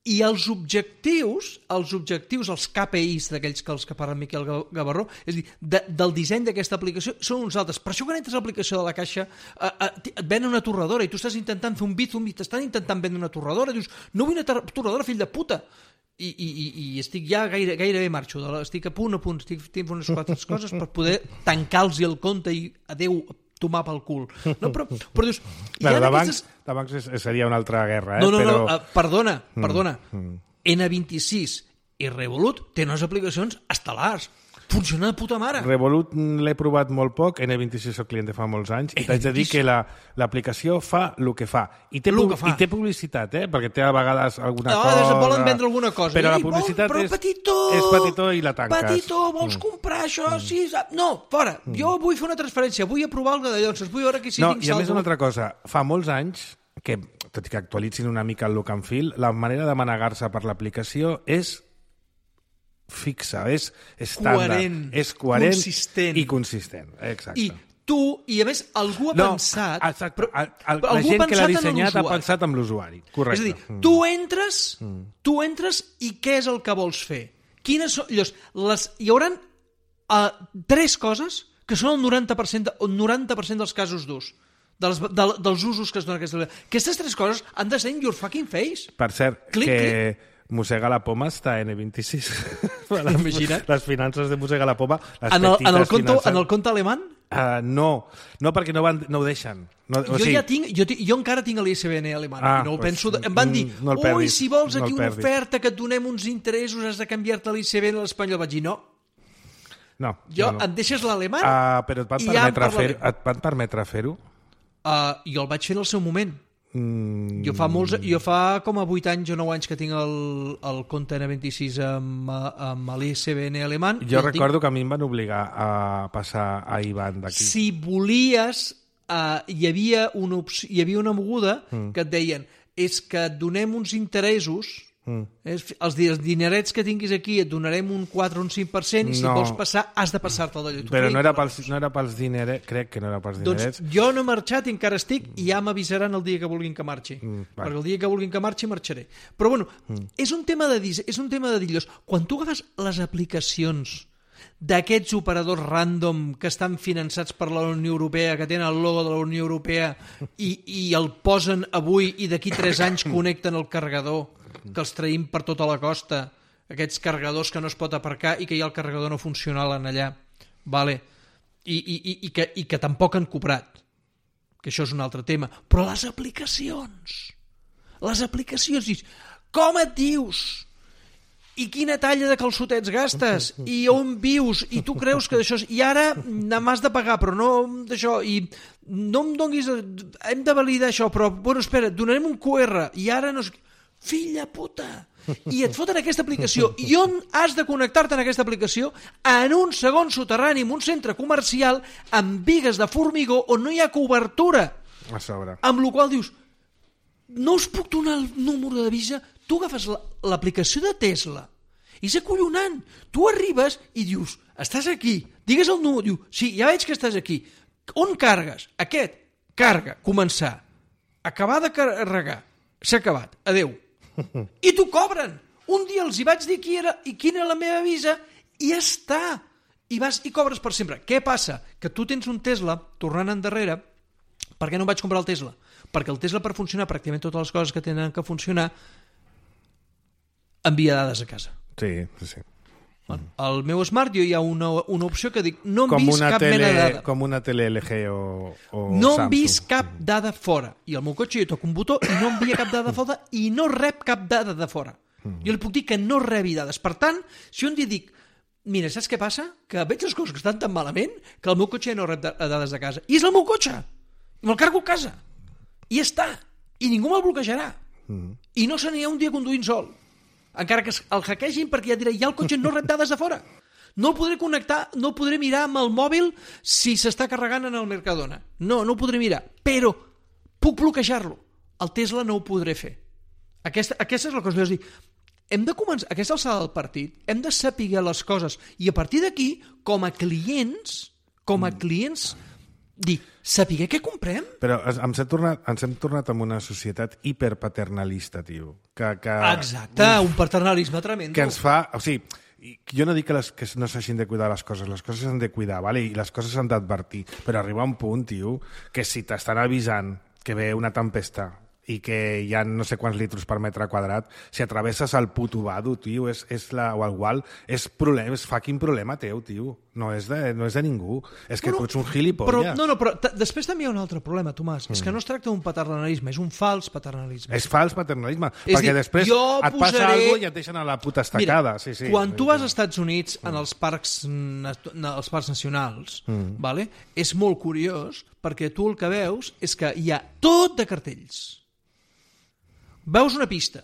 I els objectius, els objectius, els K P Is d'aquells que els que parla Miquel Gavarró, és a dir, de, del disseny d'aquesta aplicació són uns altres. Per això quan entres a l'aplicació de la caixa eh, eh, et venen una torradora i tu estàs intentant fer un Bizum i t'estan intentant vendre una torradora i dius, no vull una torradora, fill de puta. I, i, i estic ja gaire, gairebé marxo, estic a punt a punt, estic fent unes quatre coses per poder tancar-los el compte i adeu, tomar pel cul. No, però, però dius... Bueno, de bancs, aquestes... de bancs seria una altra guerra, eh? No, no, però... no, uh, perdona, perdona. Mm, mm. N vint-i-sis i Revolut tenen unes aplicacions estel·lars. Funciona de puta mare. Revolut l'he provat molt poc, N vint-i-sis soc client de fa molts anys, i t'haig de dir que l'aplicació fa el que fa. I té, pu fa. I té publicitat, eh? Perquè té a vegades alguna no, cosa... No, volen vendre alguna cosa. Però I, la publicitat però, és, petitó, és petitó i la tanques. Petitó, vols mm. comprar això? Mm. Sí, no, fora. Mm. Jo vull fer una transferència, vull aprovar el de llonces, vull veure que si no, tinc saldo. I a més una altra cosa, fa molts anys que, tot i que actualitzin una mica el look and feel, la manera de manegar-se per l'aplicació és fixa, és estàndard, coherent, és coherent consistent. I consistent. Exacte. I tu, i a més, algú ha no, pensat... Exacte. Però, el, el, però la algú gent que l'ha en dissenyat ha pensat en l'usuari. Correcte. És a dir, mm. tu entres, mm. tu entres i què és el que vols fer? Quines són... Llavors, les, hi haurà uh, tres coses que són el noranta per cent, de, el noranta per cent dels casos d'ús. Dels, de, dels usos que es donen aquesta... Aquestes tres coses han de ser in your fucking face. Per cert, clic, que... Clic. Mossega la poma està a N vint-i-sis. Imagina't. Les finances de Mossega la poma, les en el, petites en el conto, finances... En el compte alemany? Uh, no, no perquè no, van, no ho deixen. No, o jo sigui... ja tinc, jo, jo encara tinc l'I S B N alemany. Ah, no el pues, penso de... Em van dir, no ui, si vols aquí no una oferta que et donem uns interessos, has de canviar-te l'I S B N a l'espanyol. Vaig dir, no. No. Jo, no, no. em deixes l'alemany? Uh, però et van permetre fer-ho? Et van permetre fer-ho? Uh, jo el vaig fer en el seu moment. Mm. Jo fa molts, jo fa com a vuit anys o nou anys que tinc el, el compte N vint-i-sis amb, amb l'I S B N alemany. Jo recordo tinc... que a mi em van obligar a passar a I B A N d'aquí. Si volies, uh, hi, havia una opció, hi havia una moguda mm. que et deien és que et donem uns interessos, mm. és, els, els dinerets que tinguis aquí et donarem un quatre o un cinc per cent i si no. vols passar has de passar-te d'allò. Però no era, pels, no era pels dinerets, crec que no era pels dinerets. Doncs jo no he marxat i encara estic i ja m'avisaran el dia que vulguin que marxi. Mm, perquè el dia que vulguin que marxi marxaré. Però bueno, mm. és un tema de és un tema de dir-los, quan tu agafes les aplicacions d'aquests operadors random que estan finançats per la Unió Europea, que tenen el logo de la Unió Europea i, i el posen avui i d'aquí tres anys connecten el carregador, que els traïm per tota la costa, aquests carregadors que no es pot aparcar i que ja el carregador no funciona allà, vale. I, i, i, i, que, i que tampoc han cobrat, que això és un altre tema. Però les aplicacions, les aplicacions, dius, com et dius? I quina talla de calçotets gastes? I on vius? I tu creus que d'això... I ara m'has de pagar, però no d'això. I no em donguis... Hem de validar això, però, bueno, espera, donarem un Q R. I ara no... Filla puta! I et foten aquesta aplicació. I on has de connectar-te en aquesta aplicació? En un segon soterrani, en un centre comercial, amb bigues de formigó on no hi ha cobertura. A sobre. Amb la qual dius, no us puc donar el número de Visa? Tu agafes l'aplicació de Tesla i és acollonant. Tu arribes i dius, estàs aquí, digues el número, diu, sí, ja veig que estàs aquí. On cargues? Aquest. Carga, començar. Acabar de carregar. S'ha acabat. Adeu. I t'ho cobren. Un dia els hi vaig dir qui era i quina era la meva Visa i ja està. I vas i cobres per sempre. Què passa? Que tu tens un Tesla, tornant endarrere, per què no vaig comprar el Tesla? Perquè el Tesla, per funcionar pràcticament totes les coses que tenen que funcionar, envia dades a casa. Sí, sí, sí. Al meu Smart jo hi ha una, una opció que dic no hem com vist cap tele, mena de dada. Com una tele L G o, o no Samsung. hem vist cap dada fora. I al meu cotxe jo toco un botó i no envia cap dada fora i no rep cap dada de fora. Mm. Jo li puc dir que no rebi dades. Per tant, si un dia dic, mira, saps què passa? Que veig les coses que estan tan malament que el meu cotxe no rep dades de casa. I és el meu cotxe. I me'l cargo a casa. I ja està. I ningú me'l bloquejarà. Mm. I no se n'hi ha un dia conduint sol. Encara que el hackegin, perquè ja diré, ja el cotxe no rep dades de fora. No el podré connectar, no el podré mirar amb el mòbil si s'està carregant en el Mercadona. No, no ho podré mirar. Però puc bloquejar-lo. El Tesla no ho podré fer. Aquesta, aquesta és la cosa. És dir, hem de començar, aquesta alçada del partit, hem de saber les coses. I a partir d'aquí, com a clients, com a clients, dir, saber què comprem? Però ens hem tornat, ens hem tornat en una societat hiperpaternalista, tio. Que, que, Exacte, uf, un paternalisme tremendo. Que ens fa... O sigui, jo no dic que, les, que no s'hagin de cuidar les coses, les coses s'han de cuidar, vale? I les coses s'han d'advertir, però arriba un punt, tio, que si t'estan avisant que ve una tempesta i que hi ha no sé quants litros per metre quadrat, si atravesses el puto vado, tio, és, és la, o el gual, és, problema, és fucking problema teu, tio. No és de, no és de ningú. És que bueno, tu ets un gilipolles. Però, no, no, però després també hi ha un altre problema, Tomàs. Mm. És que no es tracta d'un paternalisme, és un fals paternalisme. És fals paternalisme, és perquè dir, després et passa posaré... alguna cosa i et deixen a la puta estacada. Mira, sí, sí, quan tu vas als Estats Units en els parcs, els parcs nacionals, mm. vale? És molt curiós perquè tu el que veus és que hi ha tot de cartells. Veus una pista,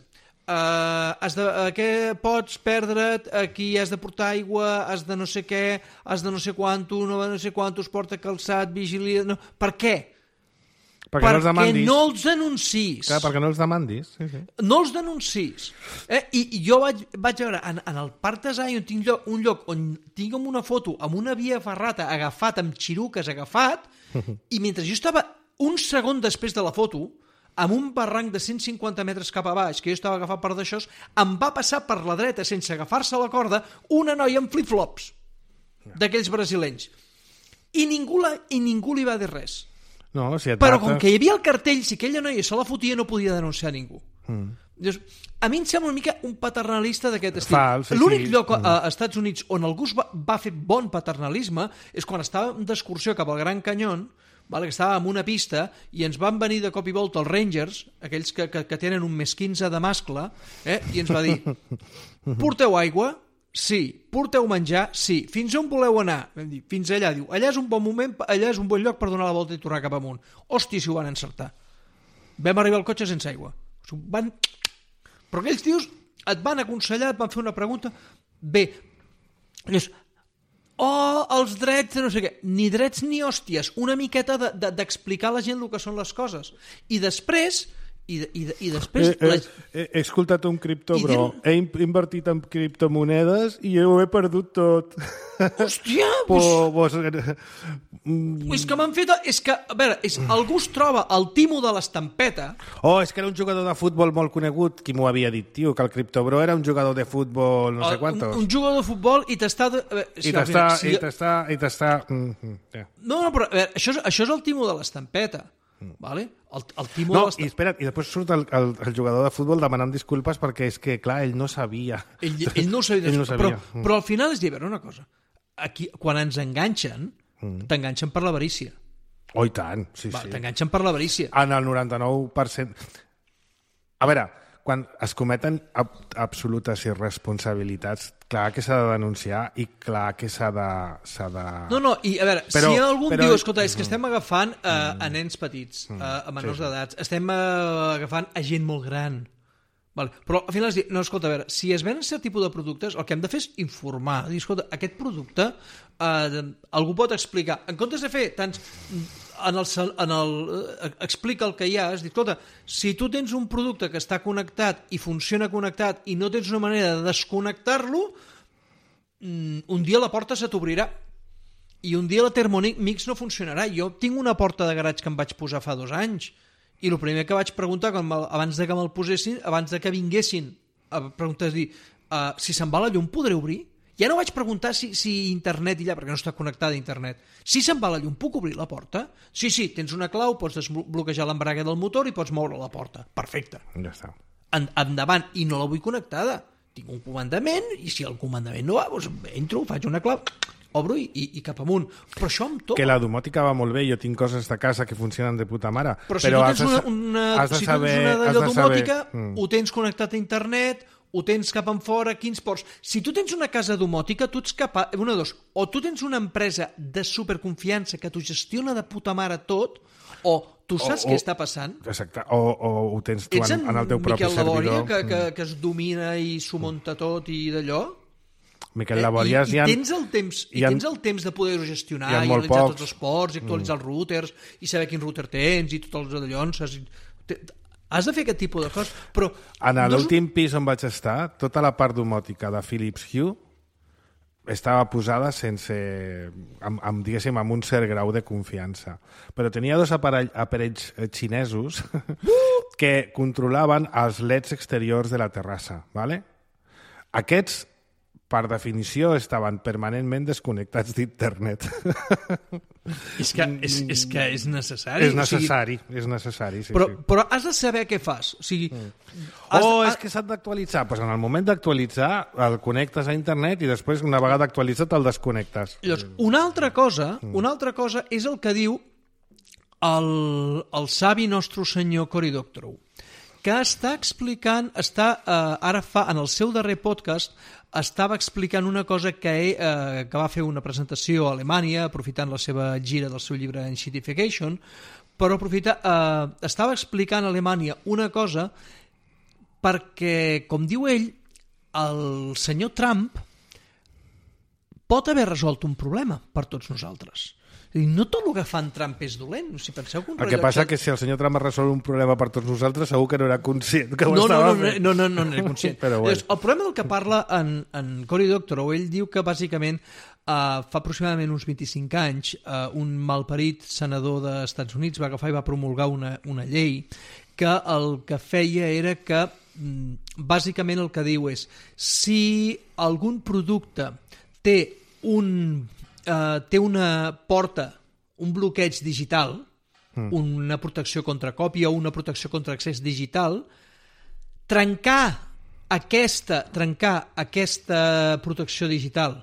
uh, has de, uh, què pots perdre't, aquí has de portar aigua, has de no sé què, has de no sé quanto, no, no sé quantos, porta calçat, vigilia... No. Per què? Perquè, perquè no els demandis. no els denuncis. Clar, perquè no els demandis. Sí, sí. No els denuncis. Eh? I, I jo vaig, vaig veure, en, en el Parc de Zion tinc lloc, un lloc on tinc una foto amb una via ferrata agafat, amb xiruques agafat, i mentre jo estava un segon després de la foto, amb un barranc de cent cinquanta metres cap a baix, que jo estava agafat per d'això, em va passar per la dreta, sense agafar-se la corda, una noia amb flip-flops, d'aquells brasilenys. I ningú, la, I ningú li va dir res. No, si Però com que hi havia el cartell, si aquella noia se la fotia, no podia denunciar ningú. Mm. Llavors, a mi em sembla una mica un paternalista d'aquest estil. Fals, sí, L'únic sí. lloc a Estats Units on algú va, va fer bon paternalisme és quan estàvem d'excursió cap al Gran Canyón, vale, que estàvem en una pista i ens van venir de cop i volta els Rangers, aquells que, que, que tenen un més quinze de mascle, eh? I ens va dir, porteu aigua? Sí. Porteu menjar? Sí. Fins on voleu anar? Vam dir, fins allà. Diu, allà és un bon moment, allà és un bon lloc per donar la volta i tornar cap amunt. Hòstia, si ho van encertar. Vam arribar al cotxe sense aigua. Van... Però aquells tios et van aconsellar, et van fer una pregunta. Bé, llavors, oh, els drets, no sé què. Ni drets ni hòsties. Una miqueta de, de, d'explicar a la gent el que són les coses. I després... I, i, i després... Eh, eh, la... he, he escoltat un cripto, I bro. diu... He invertit en criptomonedes i ho he perdut tot. Hòstia! Pues... Pues... Pues... És que m'han fet... És que, a veure, és, algú es troba el timo de l'estampeta... Oh, és que era un jugador de futbol molt conegut. Qui m'ho havia dit, tio? Que el criptobro era un jugador de futbol no sé quantos. Un, un jugador de futbol i t'està... De... I t'està... I t'està... I t'està... Mm, yeah. No, no, però a veure, això, és, això és el timo de l'estampeta. Vale? El, el timo no, de l'estat... i espera't, i després surt el, el, el jugador de futbol demanant disculpes perquè és que, clar, ell no sabia. Ell, ell no ho sabia. ell no sabia. Però, però al final és dir, a veure una cosa. Aquí, quan ens enganxen, mm. t'enganxen per l'avarícia. Oh, i tant, sí, Va, sí. T'enganxen per l'avarícia. En el noranta-nou per cent... A veure, quan es cometen ab absolutes irresponsabilitats, clar que s'ha de denunciar i clar que s'ha de, s'ha de... No, no, i a veure, però, si algú però... diu, escolta, és que estem agafant uh, a nens petits, uh, a menors sí, sí. d'edats, estem uh, agafant a gent molt gran, Vale. Però al final has dit, no, escolta, a veure, si es venen cert tipus de productes, el que hem de fer és informar. Dir, escolta, aquest producte eh, algú pot explicar. En comptes de fer tants... En el, en el, eh, explica el que hi ha, és dir, escolta, si tu tens un producte que està connectat i funciona connectat i no tens una manera de desconnectar-lo, un dia la porta se t'obrirà i un dia la Thermomix no funcionarà. Jo tinc una porta de garatge que em vaig posar fa dos anys i el primer que vaig preguntar quan, abans de que me'l posessin, abans de que vinguessin a preguntar, és dir, uh, si se'n va la llum podré obrir? Ja no vaig preguntar si, si internet i allà, perquè no està connectada a internet. Si se'n va la llum, puc obrir la porta? Sí, sí, tens una clau, pots desbloquejar l'embrague del motor i pots moure la porta. Perfecte. Ja està. En, endavant, i no la vull connectada. Tinc un comandament i si el comandament no va, doncs entro, faig una clau, obro i, i, i cap amunt. Però això amb tot... Que la domòtica va molt bé, jo tinc coses de casa que funcionen de puta mare. Però si però tu tens una, una, has de si saber, tu tens una d'allò domòtica, mm. ho tens connectat a internet, ho tens cap en fora, quins ports... Si tu tens una casa domòtica, tu ets capaç... Una de dos, o tu tens una empresa de superconfiança que t'ho gestiona de puta mare tot, o tu saps o, què o, està passant. Exacte, o, o ho tens tu ets en, en el teu propi Miquel servidor. Labòria, que, que, que es domina i s'ho munta tot i d'allò. Miquel Labòria... Eh, I, i, tens el temps, i tens el temps de poder-ho gestionar, i analitzar tots els ports, i actualitzar mm. els routers, i saber quin router tens, i tots els d'allons... Has de fer aquest tipus de coses, però... En l'últim no... pis on vaig estar, tota la part domòtica de Philips Hue estava posada sense... Amb, amb, diguéssim, amb un cert grau de confiança. Però tenia dos aparell, aparells xinesos que controlaven els leds exteriors de la terrassa, ¿vale? Aquests, per definició, estaven permanentment desconnectats d'internet. És que és, és que és necessari. És necessari, o sigui... és necessari, sí, però, sí. Però has de saber què fas. O sigui... Mm. Has, oh, és que s'ha d'actualitzar. Pues en el moment d'actualitzar el connectes a internet i després, una vegada actualitzat, el desconnectes. Llavors, una altra cosa, una altra cosa és el que diu el, el savi nostre senyor Cory Doctorow, que està explicant, està, eh, ara fa, en el seu darrer podcast, estava explicant una cosa que, eh, que va fer una presentació a Alemanya, aprofitant la seva gira del seu llibre Enshittification, però aprofitar, eh, estava explicant a Alemanya una cosa perquè, com diu ell, el senyor Trump pot haver resolt un problema per tots nosaltres. No tot el que fa en Trump és dolent. Si penseu que un el que passa que si el senyor Trump ha resolt un problema per tots nosaltres, segur que no era conscient que ho no, estava no, no, fent. No, no, no, no era conscient. Però bueno. El problema del que parla en, en Cory Doctorow, ell diu que bàsicament uh, fa aproximadament uns vint-i-cinc anys uh, un malparit senador dels Estats Units va agafar i va promulgar una, una llei que el que feia era que bàsicament el que diu és si algun producte té un Uh, té una porta, un bloqueig digital, mm. una protecció contra còpia o una protecció contra accés digital, trencar aquesta, trencar aquesta protecció digital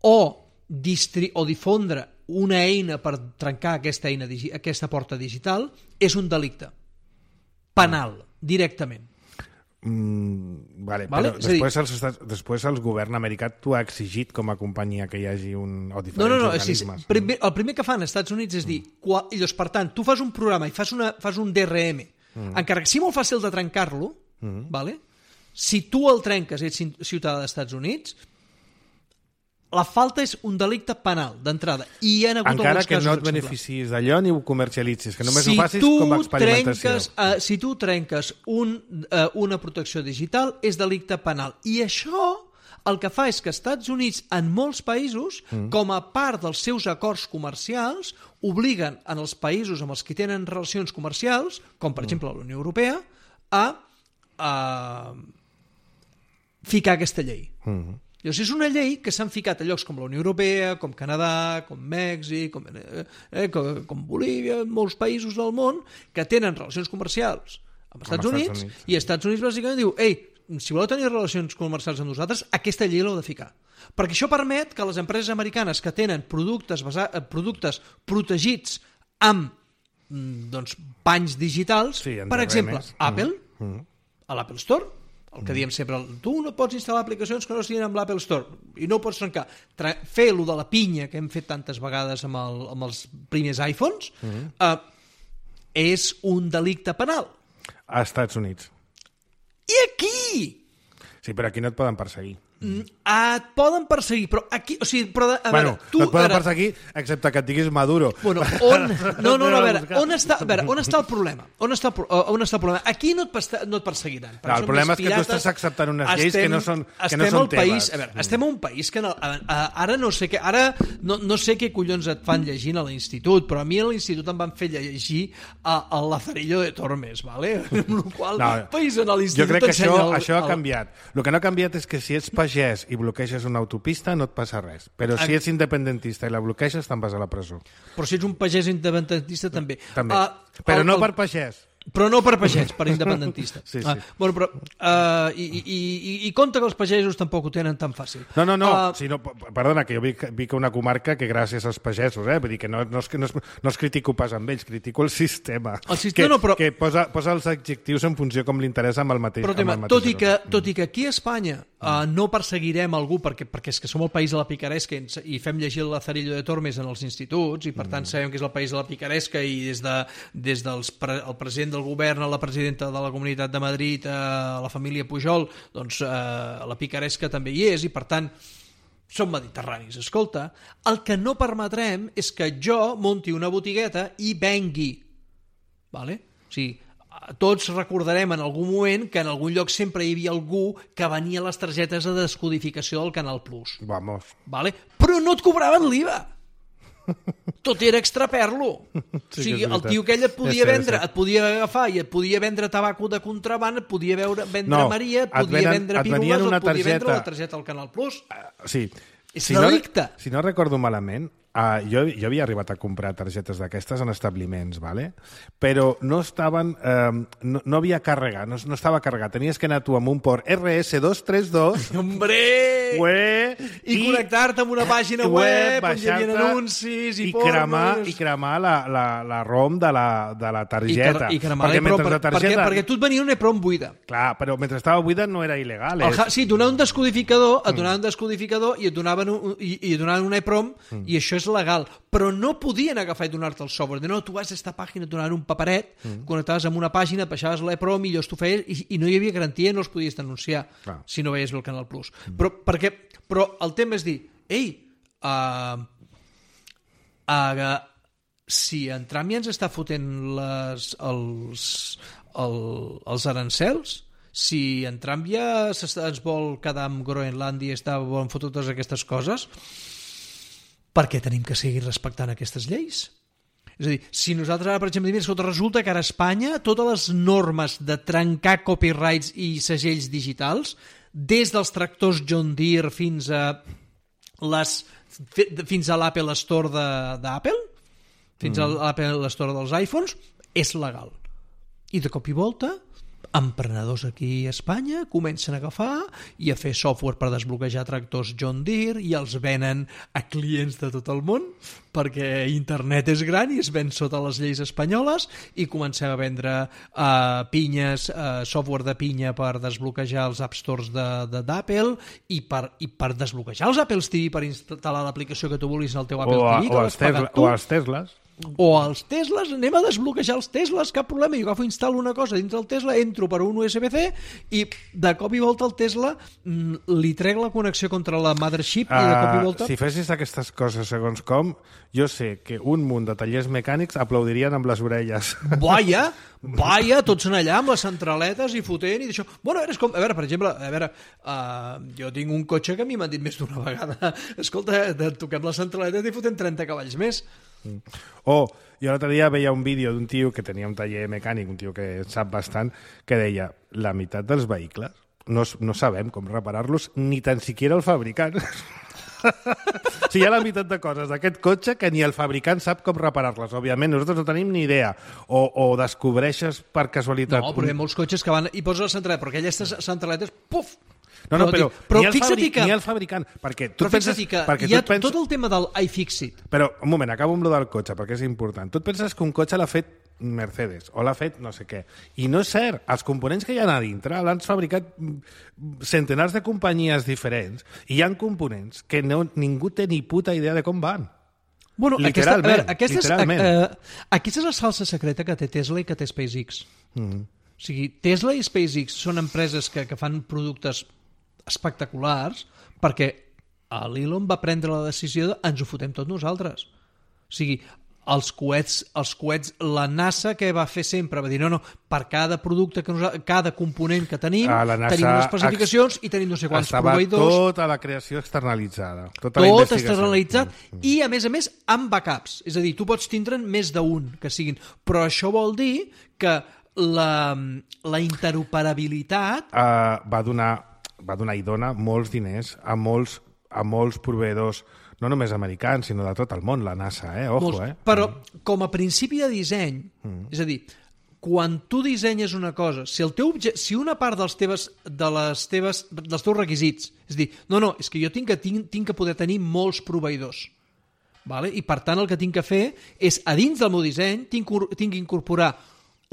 o, distri o difondre una eina per trencar aquesta, eina, aquesta porta digital és un delicte penal, directament. Mm, vale, vale? Però després, els estats, després el govern americà t'ho ha exigit com a companyia que hi hagi un, o diferents no, no, no, organismes. Sí, primer, el primer que fan als Estats Units és dir, quan, llavors, per tant, tu fas un programa i fas, una, fas un D R M, mm. encara que sigui molt fàcil de trencar-lo, mm. vale? Si tu el trenques i ets ciutadà dels Estats Units, la falta és un delicte penal d'entrada i hi ha hagut encara alguns que casos no et beneficis d'allò ni ho comercialitzis, que només si ho facis com a experimentació. Trenques, uh, si tu trenques un, uh, una protecció digital és delicte penal i això el que fa és que els Estats Units en molts països, mm. com a part dels seus acords comercials, obliguen en els països amb els que tenen relacions comercials, com per mm. exemple la Unió Europea, a, a ficar aquesta llei. Mm. Llavors, és una llei que s'han ficat a llocs com la Unió Europea, com Canadà, com Mèxic, com, eh, com, com Bolívia, molts països del món que tenen relacions comercials amb els Estats Units, Units i els Estats Units bàsicament diu ei, si voleu tenir relacions comercials amb nosaltres, aquesta llei l'heu de ficar. Perquè això permet que les empreses americanes que tenen productes, basa- productes protegits amb doncs, panys digitals, sí, per exemple, mm. Apple, mm. a l'Apple Store, el que diem sempre, tu no pots instal·lar aplicacions que no estiguin amb l'Apple Store i no pots trencar. Tra fer lo de la pinya que hem fet tantes vegades amb, el, amb els primers iPhones mm -hmm. uh, és un delicte penal. A Estats Units. I aquí... Sí, però aquí no et poden perseguir. Mm, et poden perseguir, però aquí... O sigui, però, a bueno, veure, tu... no et poden ara... perseguir, excepte que et diguis Maduro. Bueno, on... No, no, no, a veure, on està, a veure, on està el problema? On està, el, on està el problema? Aquí no et, pesta, no et perseguiran. No, el problema és que tu estàs acceptant unes lleis estem, que no són, que no són teves. País, a veure, mm. estem a un país que... No, a, a, ara no sé què... Ara no, no sé què collons et fan llegint a l'institut, però a mi a l'institut em van fer llegir a, a Lazarillo de Tormes, ¿vale? Amb la qual no, país en l'institut... Jo crec que això, el, això ha el... canviat. El que no ha canviat és que si ets pagès i bloqueges una autopista no et passa res, però si ets independentista i la bloqueges te'n vas a la presó. Però si ets un pagès independentista també. També, uh, però el, no el... per pagès. Però no per pagès, per independentista. Sí, sí. Ah, bueno, però, uh, i, i, i, I compte que els pagesos tampoc ho tenen tan fàcil. No, no, no, uh, si no perdona, que jo vic, vic a una comarca que gràcies als pagesos, eh? Vull dir que no, no, és, no, és, no es critico pas amb ells, critico el sistema. El sistema que, no, però... que posa, posa els adjectius en funció com li interessa amb el mateix. Però, tema, amb el mateix tot, i que, tot i que aquí a Espanya uh, no perseguirem algú perquè, perquè és que som el país de la picaresca i, i fem llegir el Lazarillo de Tormes en els instituts i per tant sabem que és el país de la picaresca i des, de, des del pre, el president del govern a la presidenta de la Comunitat de Madrid, a la família Pujol, doncs eh, la picaresca també hi és i per tant som mediterranis. Escolta, el que no permetrem és que jo monti una botigueta i vengui. Vale? O sigui, tots recordarem en algun moment que en algun lloc sempre hi havia algú que venia les targetes de descodificació del Canal Plus. Vamos. Vale? Però no et cobraven l'I V A. Tot era extraperlo. Sí, o sigui, el tio aquell et podia sí, vendre, sí. et podia agafar i et podia vendre tabaco de contraband, et podia veure, vendre no, Maria, et podia et venen, vendre pirules, et, et podia vendre la targeta al Canal Plus. Uh, sí. És si delicte. No, si no recordo malament, uh, jo, jo havia arribat a comprar targetes d'aquestes en establiments, ¿vale? Però no estaven... Uh, no, no havia càrrega, no, no estava carregat. Tenies que anar tu amb un port R S dos tres dos... Hombre! Ué, I, i connectar-te amb una pàgina web, web on hi havia anuncis i, i cremar, i cremar la, la, la ROM de la, de la targeta. I, i cremar perquè, mentre per, la targeta... perquè, perquè tu et venia una EPROM buida. Clar, però mentre estava buida no era il·legal. El, sí, et donaven un descodificador, et donaven un descodificador i et donaven, un, i, i et donaven una EPROM mm. i això és legal. Però no podien agafar i donar-te el software. De no, tu vas a esta pàgina, et donaven un paperet, mm. connectaves amb una pàgina, et baixaves l'EPROM i llavors tu feies, i, i no hi havia garantia, no els podies denunciar Clar. si no veies bé el Canal Plus. Mm. Però, perquè, però el tema és dir, ei, uh, uh, si en Trump ja ens està fotent les, els, el, els arancels, si en Trump ja ens vol quedar amb Groenlàndia i està volen fotre totes aquestes coses, per què tenim que seguir respectant aquestes lleis? És a dir, si nosaltres ara, per exemple, diem, escolta, resulta que ara a Espanya totes les normes de trencar copyrights i segells digitals, des dels tractors John Deere fins a les fins a l'Apple Store d'Apple, fins mm. a l'Apple Store dels iPhones, és legal. I de cop i volta emprenedors aquí a Espanya comencen a agafar i a fer software per desbloquejar tractors John Deere i els venen a clients de tot el món perquè internet és gran i es ven sota les lleis espanyoles i comencem a vendre uh, pinyes, uh, software de pinya per desbloquejar els App Stores d'Apple i, per, i per desbloquejar els Apple T V per instal·lar l'aplicació que tu vulguis al teu Apple o a, T V o, els Tesla, o els Teslas o els Teslas, anem a desbloquejar els Teslas, cap problema, jo agafo i instal·lo una cosa dins del Tesla, entro per un U S B C i de cop i volta el Tesla li trec la connexió contra la mothership uh, i de cop i volta... Si fessis aquestes coses segons com, jo sé que un munt de tallers mecànics aplaudirien amb les orelles. Vaja, vaja, tots són allà amb les centraletes i fotent i d'això. Bueno, a veure, com, a veure, per exemple, a veure, uh, jo tinc un cotxe que a mi m'han dit més d'una vegada, escolta, toquem les centraletes i fotem trenta cavalls més. Mm. O, oh, jo l'altre dia veia un vídeo d'un tio que tenia un taller mecànic, un tio que sap bastant, que deia, la meitat dels vehicles no, no sabem com reparar-los ni tan siquiera el fabricant. O sigui, hi ha la meitat de coses d'aquest cotxe que ni el fabricant sap com reparar-les. Òbviament, nosaltres no tenim ni idea. O, o descobreixes per casualitat... No, però hi ha molts cotxes que van i posen la centraleta, però aquelles centraletes, puf! No, no, però, però ni, el fixa't fabric, que... ni el fabricant, perquè tu però penses... que perquè hi ha penses... tot el tema del iFixit. Però, un moment, acabo amb lo del cotxe, perquè és important. Tu et penses que un cotxe l'ha fet Mercedes, o l'ha fet no sé què. I no és cert. Els components que hi ha a dintre l'han fabricat centenars de companyies diferents i hi ha components que no, ningú té ni puta idea de com van. Bueno, literalment. Aquesta, a veure, aquesta, literalment. És, a, a, aquesta és la salsa secreta que té Tesla i que té SpaceX. Mm-hmm. O sigui, Tesla i SpaceX són empreses que, que fan productes espectaculars perquè l'Elon va prendre la decisió de ens ho fotem tots nosaltres. O sigui, els coets, els coets, la NASA que va fer sempre, va dir no, no, per cada producte, que nosaltres, cada component que tenim, tenim les especificacions i tenim no sé quants estava proveïdors. Tota la creació externalitzada. Tota tot externalitzat mm. i, a més a més, amb backups. És a dir, tu pots tindre'n més d'un que siguin. Però això vol dir que la, la interoperabilitat... Uh, va donar, va donar i dona molts diners a molts, a molts proveïdors, no només americans, sinó de tot el món, la NASA, eh? Ojo, molts, eh? Però, com a principi de disseny, mm. és a dir, quan tu dissenyes una cosa, si, el teu, si una part dels, teves, de les teves, dels teus requisits, és a dir, no, no, és que jo tinc que, tinc, tinc que poder tenir molts proveïdors, vale? I per tant el que tinc que fer és, a dins del meu disseny, tinc, tinc que incorporar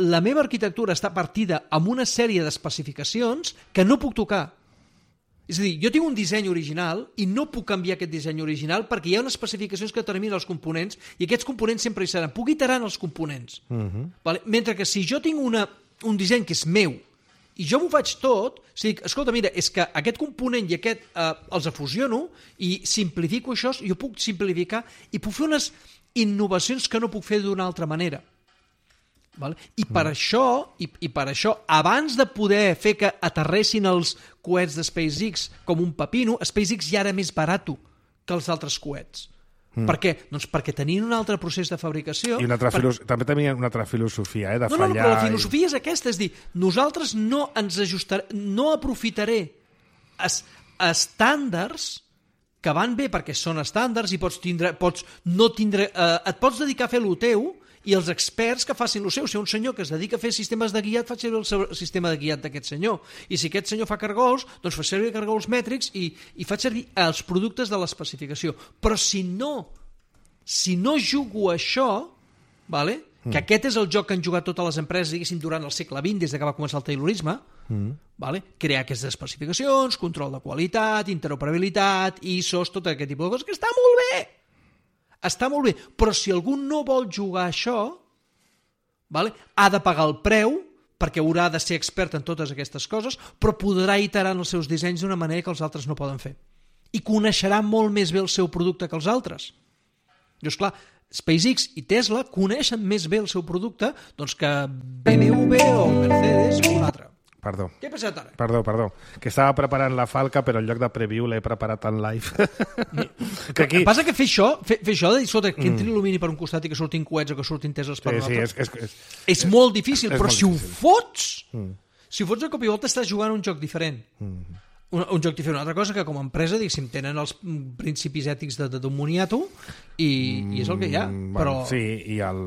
la meva arquitectura està partida amb una sèrie d'especificacions que no puc tocar. És a dir, jo tinc un disseny original i no puc canviar aquest disseny original perquè hi ha unes especificacions que determinen els components i aquests components sempre hi seran. Puc iterar en els components. Uh-huh. Vale? Mentre que si jo tinc una, un disseny que és meu i jo m'ho faig tot, o sigui, escolta, mira, és que aquest component i aquest eh, els afusiono i simplifico això, jo puc simplificar i puc fer unes innovacions que no puc fer d'una altra manera. Vale? I per mm. això, i, i per això, abans de poder fer que aterressin els coets de SpaceX com un pepino, SpaceX ja era més barat que els altres coets. Mm. Per què? Doncs perquè tenien un altre procés de fabricació. I una altra per... filos... també tenien una altra filosofia, eh, de no, fallar... No, no, però la filosofia i... és aquesta, és dir, nosaltres no ens ajustarem, no aprofitaré es, estàndards que van bé perquè són estàndards i pots tindre, pots no tindre, eh, et pots dedicar a fer el teu i els experts que facin el seu. Si un senyor que es dedica a fer sistemes de guiat, fa servir el seu sistema de guiat d'aquest senyor. I si aquest senyor fa cargols, doncs fa servir cargols mètrics i, i fa servir els productes de l'especificació. Però si no, si no jugo això, vale? Mm. que aquest és el joc que han jugat totes les empreses, diguéssim, durant el segle vint, des que va començar el taylorisme, mm. vale? Crear aquestes especificacions, control de qualitat, interoperabilitat, I S Os, tot aquest tipus de coses, que està molt bé! Està molt bé, però si algú no vol jugar això, vale, ha de pagar el preu, perquè haurà de ser expert en totes aquestes coses, però podrà iterar en els seus dissenys d'una manera que els altres no poden fer. I coneixerà molt més bé el seu producte que els altres. I, esclar, SpaceX i Tesla coneixen més bé el seu producte doncs, que B M W o Mercedes o un altre. Perdó. Què ha passat ara? Perdó, perdó. Que estava preparant la falca, però en lloc de preview l'he preparat en live. que aquí... Passa que fer això, fer, fer això de dir, escolta, que entri l'alumini per un costat i que surtin coets o que surtin Tesles per sí, un altre, sí, és, és, és, és, és molt difícil, és però molt si difícil. Ho fots, mm. si ho fots de cop i volta estàs jugant un joc diferent. Mm. Un, un joc diferent. Una altra cosa que com a empresa, diguéssim, tenen els principis ètics de, de, d'un moniato i, mm, i és el que hi ha. Bueno, però... Sí, i el...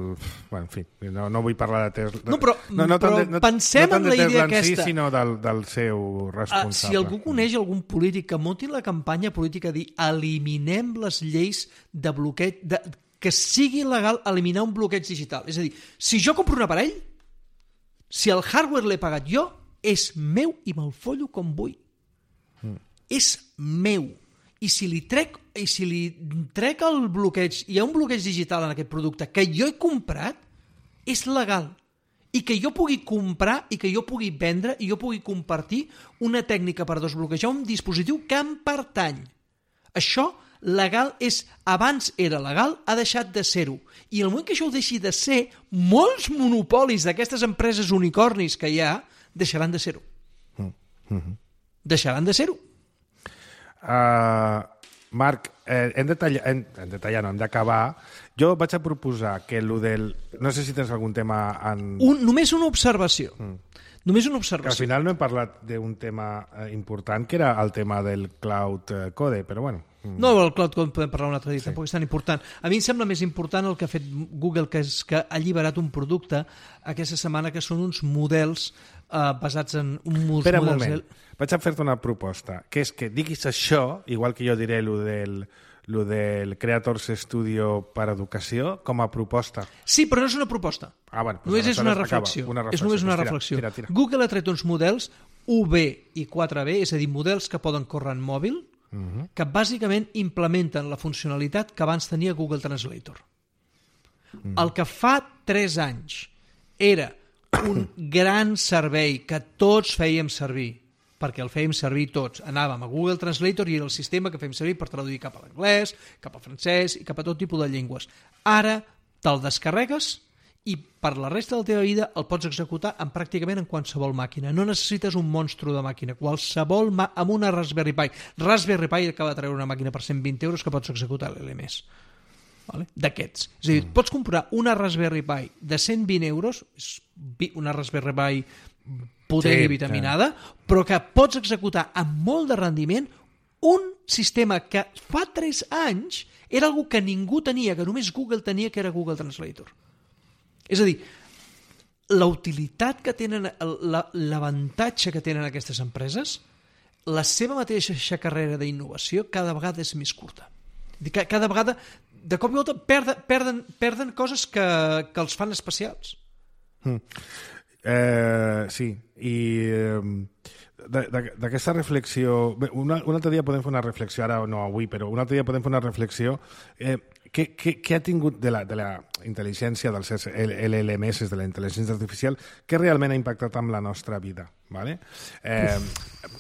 Bueno, en fi, no, no vull parlar de Tesla. No, però, no, no però de, no, pensem no en la idea aquesta. Sí, sinó del, del seu responsable. Uh, si algú coneix algun polític que munti la campanya política de dir eliminem les lleis de bloqueig, de, que sigui legal eliminar un bloqueig digital. És a dir, si jo compro un aparell, si el hardware l'he pagat jo, és meu i me'l follo com vull. Mm. És meu. I si li trec i si li trec el bloqueig, hi ha un bloqueig digital en aquest producte que jo he comprat, és legal. I que jo pugui comprar i que jo pugui vendre i jo pugui compartir una tècnica per desbloquejar un dispositiu que em pertany. Això legal és, abans era legal, ha deixat de ser-ho. I el moment que això ho deixi de ser, molts monopolis d'aquestes empreses unicornis que hi ha deixaran de ser-ho. Mm-hmm. Deixaran de ser-ho. Uh, Marc, eh, hem de tallar, hem, hem de tallar, no, hem d'acabar. Jo vaig a proposar que el del... No sé si tens algun tema en... Un, només una observació. Mm. Només una observació. Que al final no hem parlat d'un tema eh, important, que era el tema del cloud eh, code, però bueno... Mm. No, el cloud code podem parlar un altre dia, sí. Tampoc és tan important. A mi em sembla més important el que ha fet Google, que és que ha alliberat un producte aquesta setmana que són uns models eh, basats en... Un Espera un models... moment. Vaig a fer-te una proposta, que és que diguis això, igual que jo diré lo del, lo del Creators Studio per educació, com a proposta. Sí, però no és una proposta. Ah, bueno, doncs només és una reflexió. una reflexió. És només una tira, reflexió. Tira, tira. Google ha tret uns models U B i quatre B, és a dir, models que poden córrer en mòbil, uh-huh. que bàsicament implementen la funcionalitat que abans tenia Google Translator. Uh-huh. El que fa tres anys era un gran servei que tots fèiem servir, perquè el fèiem servir tots. Anàvem a Google Translator i era el sistema que fèiem servir per traduir cap a l'anglès, cap al francès i cap a tot tipus de llengües. Ara te'l descarregues i per la resta de la teva vida el pots executar en pràcticament en qualsevol màquina. No necessites un monstru de màquina. Qualsevol mà amb una Raspberry Pi. Raspberry Pi acaba de treure una màquina per cent vint euros que pots executar l'L M S. Vale? D'aquests. És a dir, pots comprar una Raspberry Pi de cent vint euros, una Raspberry Pi potent sí, i vitaminada, sí. però que pots executar amb molt de rendiment un sistema que fa tres anys era algo que ningú tenia, que només Google tenia, que era Google Translator. És a dir, la utilitat que tenen, l'avantatge que tenen aquestes empreses, la seva mateixa carrera d'innovació cada vegada és més curta. Cada vegada, de cop i volta, perden, perden, perden coses que, que els fan especials. Mm. Eh, sí, i eh, d'aquesta reflexió... Bé, una, un altre dia podem fer una reflexió, ara no avui, però un altre dia podem fer una reflexió... Eh, Què, què, què ha tingut de la, de la intel·ligència dels L L M S, de la intel·ligència artificial, que realment ha impactat amb la nostra vida? Vale? Eh,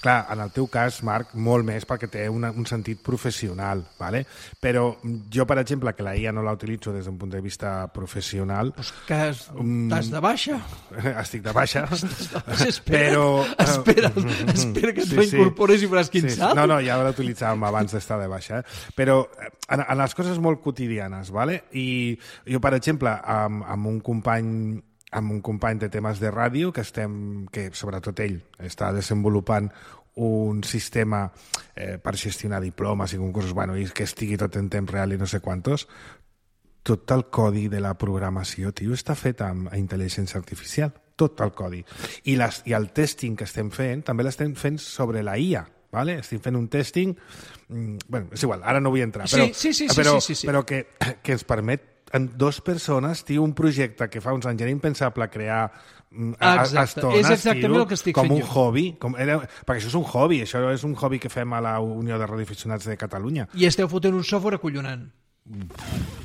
clar, en el teu cas, Marc, molt més perquè té una, un sentit professional, vale? Però jo, per exemple, que la I A no la utilitzo des d'un punt de vista professional... Pues que estàs de baixa? Estic de baixa. Espera, però... espera, espera que t'ho sí, incorpores i veuràs quin sí, salt. No, no, ja l'utilitzàvem abans d'estar de baixa. Eh? Però en, en les coses molt quotidianes, vale? I jo, per exemple, amb, amb un company amb un company de temes de ràdio que estem, que sobretot ell està desenvolupant un sistema eh, per gestionar diplomes i concursos, bueno, i que estigui tot en temps real i no sé quantos, tot el codi de la programació, tio, està fet amb intel·ligència artificial, tot el codi. I, les, i el testing que estem fent, també l'estem fent sobre la I A, vale? Estem fent un testing, bueno, és igual, ara no vull entrar, però, sí, sí, sí, però, sí, sí, sí. però que, que ens permet en dos persones, tio, un projecte que fa uns anys era impensable crear a, a estones, és exactament tio, el que estic com fent un jo. hobby, com era, perquè això és un hobby, això és un hobby que fem a la Unió de Radioaficionats de Catalunya. I esteu fotent un software acollonant.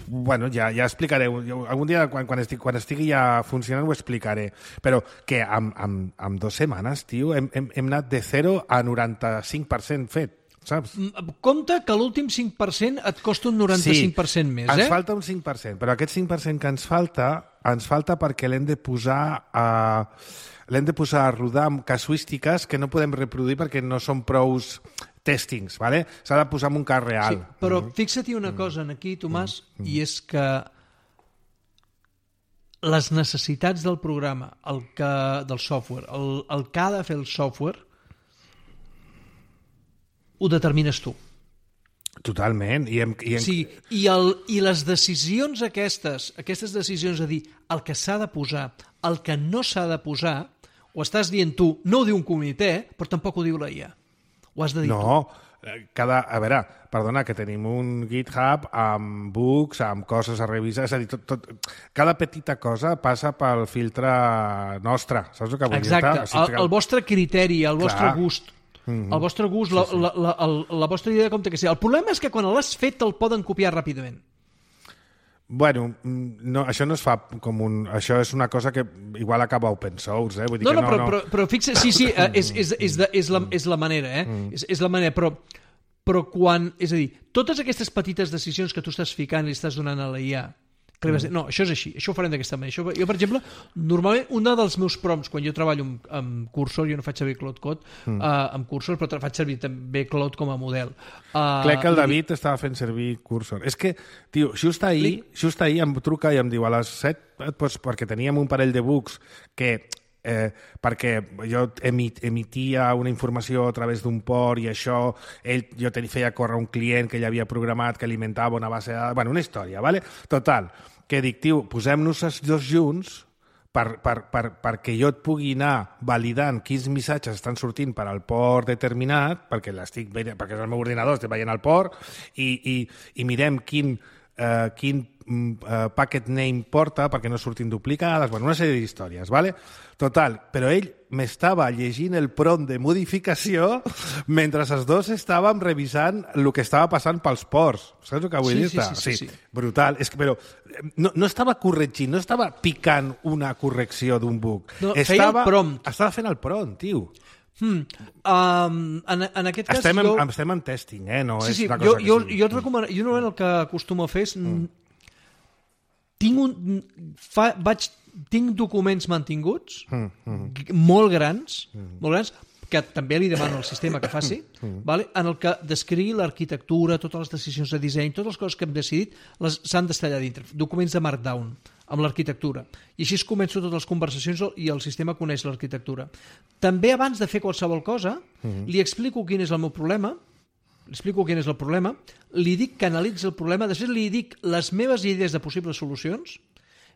Bueno, ja, ja explicaré. Jo, algun dia, quan, quan, estic, quan estigui ja funcionant, ho explicaré. Però que amb, amb, amb dues setmanes, tio, hem, hem, hem anat de zero a noranta-cinc per cent fet. Saps? Compte que l'últim cinc per cent et costa un noranta-cinc per cent sí, més, eh? ens falta un cinc per cent, però aquest cinc per cent que ens falta, ens falta perquè l'hem de posar a, l'hem de posar a rodar amb casuístiques que no podem reproduir perquè no són prous testings, ¿vale? S'ha de posar en un cas real. Sí, però mm-hmm. fixa-t'hi una cosa aquí, Tomàs, mm-hmm. i és que les necessitats del programa, el que, del software, el, el que ha de fer el software, ho determines tu. Totalment. I, hem, i, hem... Sí, i, el, i les decisions aquestes, aquestes decisions de dir el que s'ha de posar, el que no s'ha de posar, ho estàs dient tu, no ho diu un comitè, però tampoc ho diu la I A. Ho has de dir no, tu. No, cada... A veure, perdona, que tenim un GitHub amb bugs, amb coses a revisar, és a dir, tot, tot, cada petita cosa passa pel filtre nostre, saps el que vull dir? Exacte, o sigui, el, el vostre criteri, el vostre Clar. gust. Mm-hmm. El vostre gust, sí, sí. La, la, la, la vostra idea de com té que ser. El problema és que quan l'has fet te'l poden copiar ràpidament. Bueno, no, això no es fa com un... Això és una cosa que igual acaba open source, eh? Vull dir no, que no, no, però, no... Però, però fixa, sí, sí, és, és, és, de, és, la, és la manera, eh? Mm. És, és la manera, però, però quan... És a dir, totes aquestes petites decisions que tu estàs ficant i estàs donant a la I A, que li vas dir, no, això és així, això ho farem d'aquesta manera. Això, jo, per exemple, normalment, un dels meus prompts, quan jo treballo amb, amb Cursor, jo no faig servir Claude Code mm. uh, amb Cursor, però faig servir també Claude com a model. Uh, Crec que el David i... estava fent servir Cursor. És que, tio, just ahir, li... just ahir em truca i em diu a les set, doncs, perquè teníem un parell de bugs que... Eh, perquè jo emit, emitia una informació a través d'un port i això, ell, jo ten, feia córrer un client que ell havia programat que alimentava una base de dades, bueno, una història, ¿vale? Total, que dic, tio, posem-nos els dos junts per, per, per, perquè jo et pugui anar validant quins missatges estan sortint per al port determinat, perquè l'estic veient, perquè és el meu ordinador, estic veient el port, i, i, i mirem quin eh, quin uh, packet name porta perquè no surtin duplicades, bueno, una sèrie d'històries, ¿vale? Total, però ell m'estava llegint el prompt de modificació mentre els dos estàvem revisant el que estava passant pels ports. Saps el que vull sí, dir-te? Sí, sí, sí, sí. Brutal. És que, però no, no estava corregint, no estava picant una correcció d'un bug. No, estava, feia el prompt. Estava fent el prompt, tio. Hmm. Um, en, en aquest cas... Estem, jo... en, estem en testing, eh? No sí, és sí, una jo, cosa jo, que sí. jo et recomano... Jo normalment el que acostumo a fer és... Mm. Tinc un... Fa, vaig, tinc documents mantinguts mm, mm. molt grans, mm. molt grans, que també li demano al sistema que faci, mm. vale? En el que descrigui l'arquitectura, totes les decisions de disseny, totes les coses que hem decidit s'han d'estar allà dintre. Documents de Markdown, amb l'arquitectura. I així començo totes les conversacions i el sistema coneix l'arquitectura. També abans de fer qualsevol cosa, mm. li explico quin és el meu problema, li explico quin és el problema, li dic que analitzi el problema, després li dic les meves idees de possibles solucions,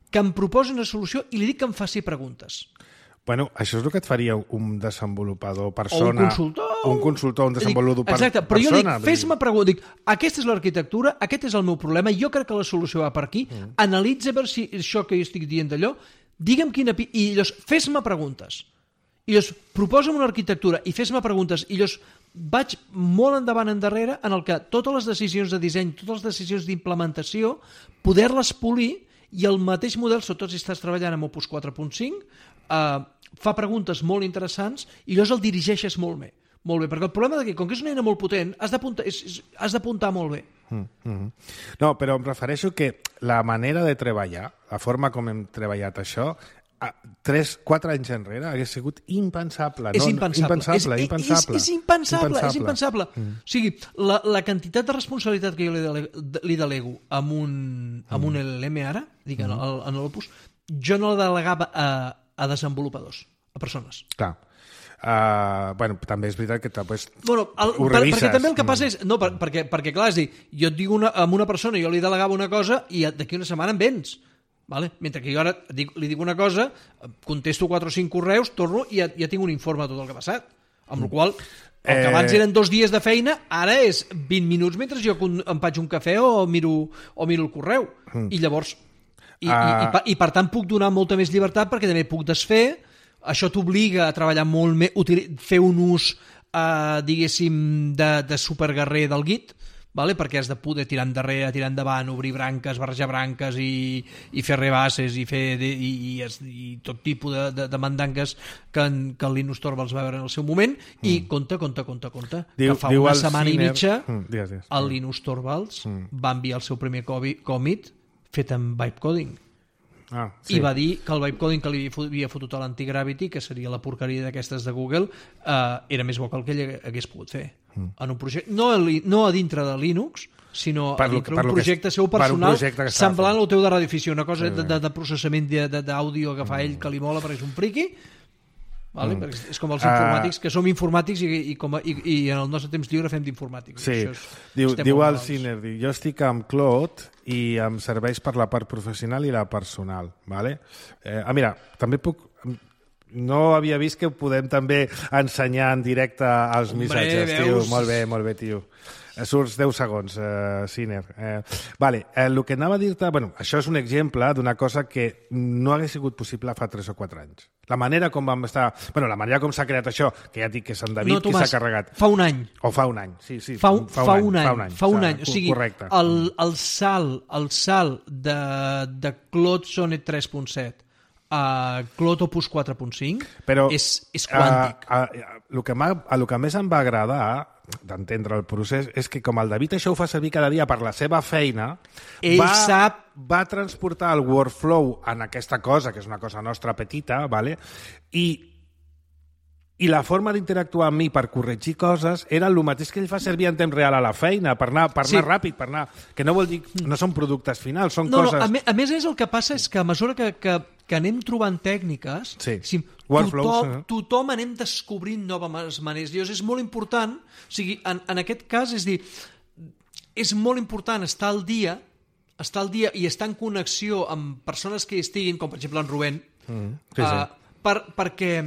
que em proposi una solució i li dic que em faci preguntes. Bueno, això és el que et faria un desenvolupador persona... O un consultor. Un consultor, un desenvolupador dic, exacte, però persona. jo dic, fes-me pregunta, dic, aquesta és l'arquitectura, aquest és el meu problema, jo crec que la solució va per aquí, mm. analitza per si això que jo estic dient d'allò, digue'm quina... I llavors, fes-me preguntes. I llavors, proposa'm una arquitectura i fes-me preguntes. I llavors, vaig molt endavant endarrere en el que totes les decisions de disseny, totes les decisions d'implementació, poder-les polir i el mateix model, sobretot si estàs treballant amb Opus quatre punt cinc, eh, fa preguntes molt interessants i llavors el dirigeixes molt bé. Molt bé, perquè el problema de que, com que és una eina molt potent, has d'apuntar, és, és, has d'apuntar molt bé. Mm -hmm. No, però em refereixo que la manera de treballar, la forma com hem treballat això, tres, quatre anys enrere hagués sigut impensable. És no? impensable. Impensable, és, impensable. És, és impensable, impensable. és impensable. Mm. O sigui, la, la quantitat de responsabilitat que jo li delego, li delego amb un, amb un L L M ara, dic, mm. en, en l'Opus, jo no la delegava a, a desenvolupadors, a persones. Clar. Uh, bueno, també és veritat que pues, bueno, el, ho per, revises. Perquè també el que passa és... No, per, perquè, perquè clar, és dir, jo et dic una, amb una persona, jo li delegava una cosa i d'aquí una setmana em vens. Vale? Mentre que jo ara dic, li dic una cosa, contesto quatre o cinc correus, torno i ja, ja tinc un informe de tot el que ha passat. Amb la qual el que abans eren dos dies de feina, ara és vint minuts mentre jo em faig un cafè o miro, o miro el correu. Mm. I llavors... I, uh... i, i, per, I per tant puc donar molta més llibertat perquè també puc desfer. Això t'obliga a treballar molt més, fer un ús, eh, diguéssim, de, de superguerrer del Git, vale? Perquè has de poder tirar endarrere, tirar endavant, obrir branques, barrejar branques i, i fer rebasses i fer de, i, i, i tot tipus de, de, de mandangues que, en, que el Linus Torvalds va veure en el seu moment mm. i compte, compte, compte, compte diu, que fa una setmana Ciner... i mitja mm, dies, dies. el Linus Torvalds mm. va enviar el seu primer còmit fet amb Vibecoding. Ah, sí. I va dir que el Vibecoding que li havia fotut a l'Antigravity, que seria la porqueria d'aquestes de Google, eh, era més bo que el que ell hagués pogut fer. Mm. En un projecte, no, a, no a dintre de Linux, sinó per a dintre d'un projecte seu personal, per semblant al teu de radioficció, una cosa sí, de, de, de processament d'àudio que fa ell que li mola perquè és un friqui, vale? Mm. És com els informàtics, que som informàtics i, i, com a, i, i en el nostre temps lliure fem d'informàtics. Sí, és, diu, diu el Ciner, jo estic amb Claude i em serveix per la part professional i la personal. Vale? Eh, ah, mira, també puc... No havia vist que podem també ensenyar en directe els Hombre, missatges, veus? Tio. Molt bé, molt bé, tio. Surts deu segons, uh, Ciner. Eh, vale, eh, el que anava a dir-te... Bueno, això és un exemple d'una cosa que no hagués sigut possible fa tres o quatre anys. La manera com vam estar... Bueno, la manera com s'ha creat això, que ja dic que és en David, no, Tomàs, qui s'ha carregat. Fa un any. O fa un any, sí, sí. Fa, fa, fa, un, un, any, fa un any. Fa un any. O sigui, correcte. El, el salt, el salt de, de Claude Sonnet tres punt set a Claude Opus quatre punt cinc és, és quàntic. A, a, a, el que a lo que més em va agradar d'entendre el procés és que com el David això ho fa servir cada dia per la seva feina, ell va, sap... va transportar el workflow en aquesta cosa, que és una cosa nostra petita, vale? i i la forma d'interactuar amb mi per corregir coses era el mateix que ell fa servir en temps real a la feina, per anar, per anar sí. ràpid, per anar... Que no vol dir... No són productes finals, són no, coses... No, a, me, a més, és el que passa és que a mesura que, que, que anem trobant tècniques, sí. si, tothom, eh? tothom anem descobrint noves maneres. Llavors és molt important, o sigui, en, en aquest cas, és dir, és molt important estar al dia, estar al dia i estar en connexió amb persones que hi estiguin, com per exemple en Rubén, mm, sí, sí. Uh, per, perquè...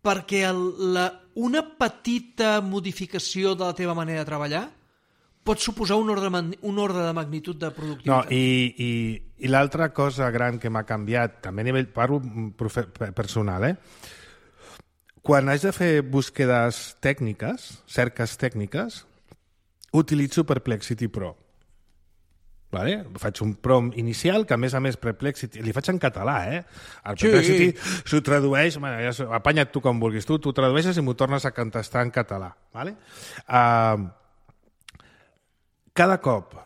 perquè el, la, una petita modificació de la teva manera de treballar pot suposar un ordre, un ordre de magnitud de productivitat. No, i, i, i l'altra cosa gran que m'ha canviat, també a nivell, parlo personal, eh? Quan haig de fer búsquedes tècniques, cerques tècniques, utilitzo Perplexity Pro. Vale? Faig un prompt inicial, que a més a més Perplexity... Li faig en català, eh? El Perplexity sí. S'ho tradueix... Bueno, ja, apanya't tu com vulguis. Tu t'ho tradueixes i m'ho tornes a contestar en català. Vale? Uh, cada cop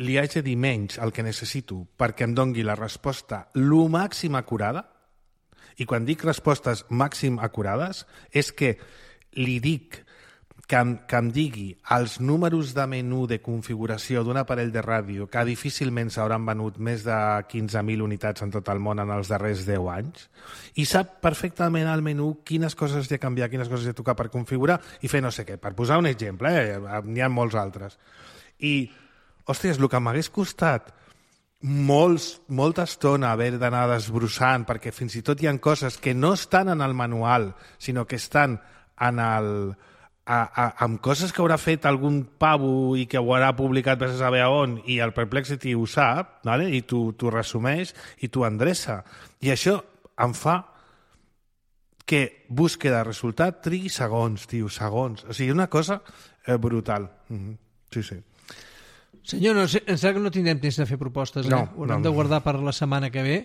li haig de dir menys el que necessito perquè em dongui la resposta lo màxim acurada. I quan dic respostes màxim acurades és que li dic que em, que em digui els números de menú de configuració d'un aparell de ràdio que difícilment s'hauran venut més de quinze mil unitats en tot el món en els darrers deu anys i sap perfectament al menú quines coses hi ha de canviar, quines coses hi ha de tocar per configurar i fer no sé què. Per posar un exemple, eh? N'hi ha molts altres. I, hòsties, el que m'hagués costat molts, molta estona haver d'anar desbrossant perquè fins i tot hi ha coses que no estan en el manual, sinó que estan en el... A, a, amb coses que haurà fet algun pavo i que ho haurà publicat per saber on i el Perplexity ho sap, vale? I t'ho resumeix i t'ho endreça. I això em fa que búsqueda de resultat trigui segons, tio, segons. O sigui, una cosa eh, brutal. Mm-hmm. Sí, sí. Senyor, no sé, em sembla que no tindrem temps de fer propostes, eh? No, ho haurem no, de guardar per la setmana que ve.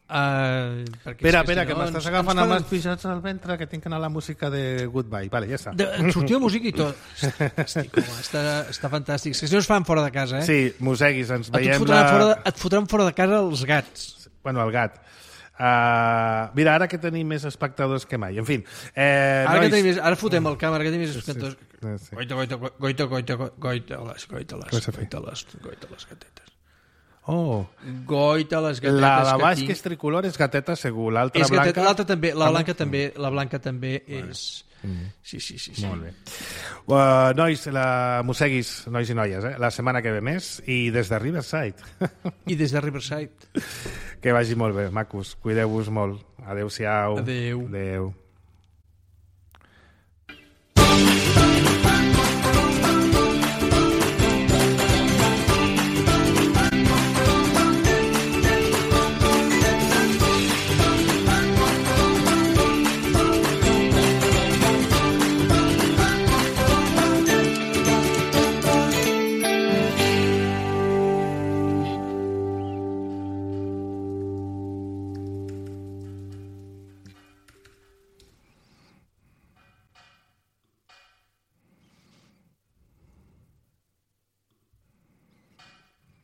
Uh, espera, espera, que, si no, que m'estàs agafant amb els pixats al ventre que tinc que anar a la música de Goodbye. Vale, ja està. De, sortiu música i tot. Estic, home, està, està fantàstic. És que si no es fan fora de casa, eh? Sí, mosseguis, ens veiem... Et fotran, la... fora de, et fotran fora de casa els gats. Bueno, el gat. Uh, mira, ara que tenim més espectadors que mai. En fi. Eh, ara, nois... que tenim més, ara fotem el càmera, que tenim més espectadors. Sí, sí. Goita, goita, goita, goita, goita, les, goita, les, goita, les, goita, les gatetes. Oh. Goita, les gatetes la de baix, que, que és tricolor, és gateta segur. L'altra blanca... L'altra també, la blanca també, la blanca també és... Mm. Sí, sí, sí, sí. Molt bé. Uh, nois, la... mosseguis, nois i noies, eh? La setmana que ve més i des de Riverside. I des de Riverside. Que vagi molt bé, macos. Cuideu-vos molt. Adéu-siau. Adéu. Adéu.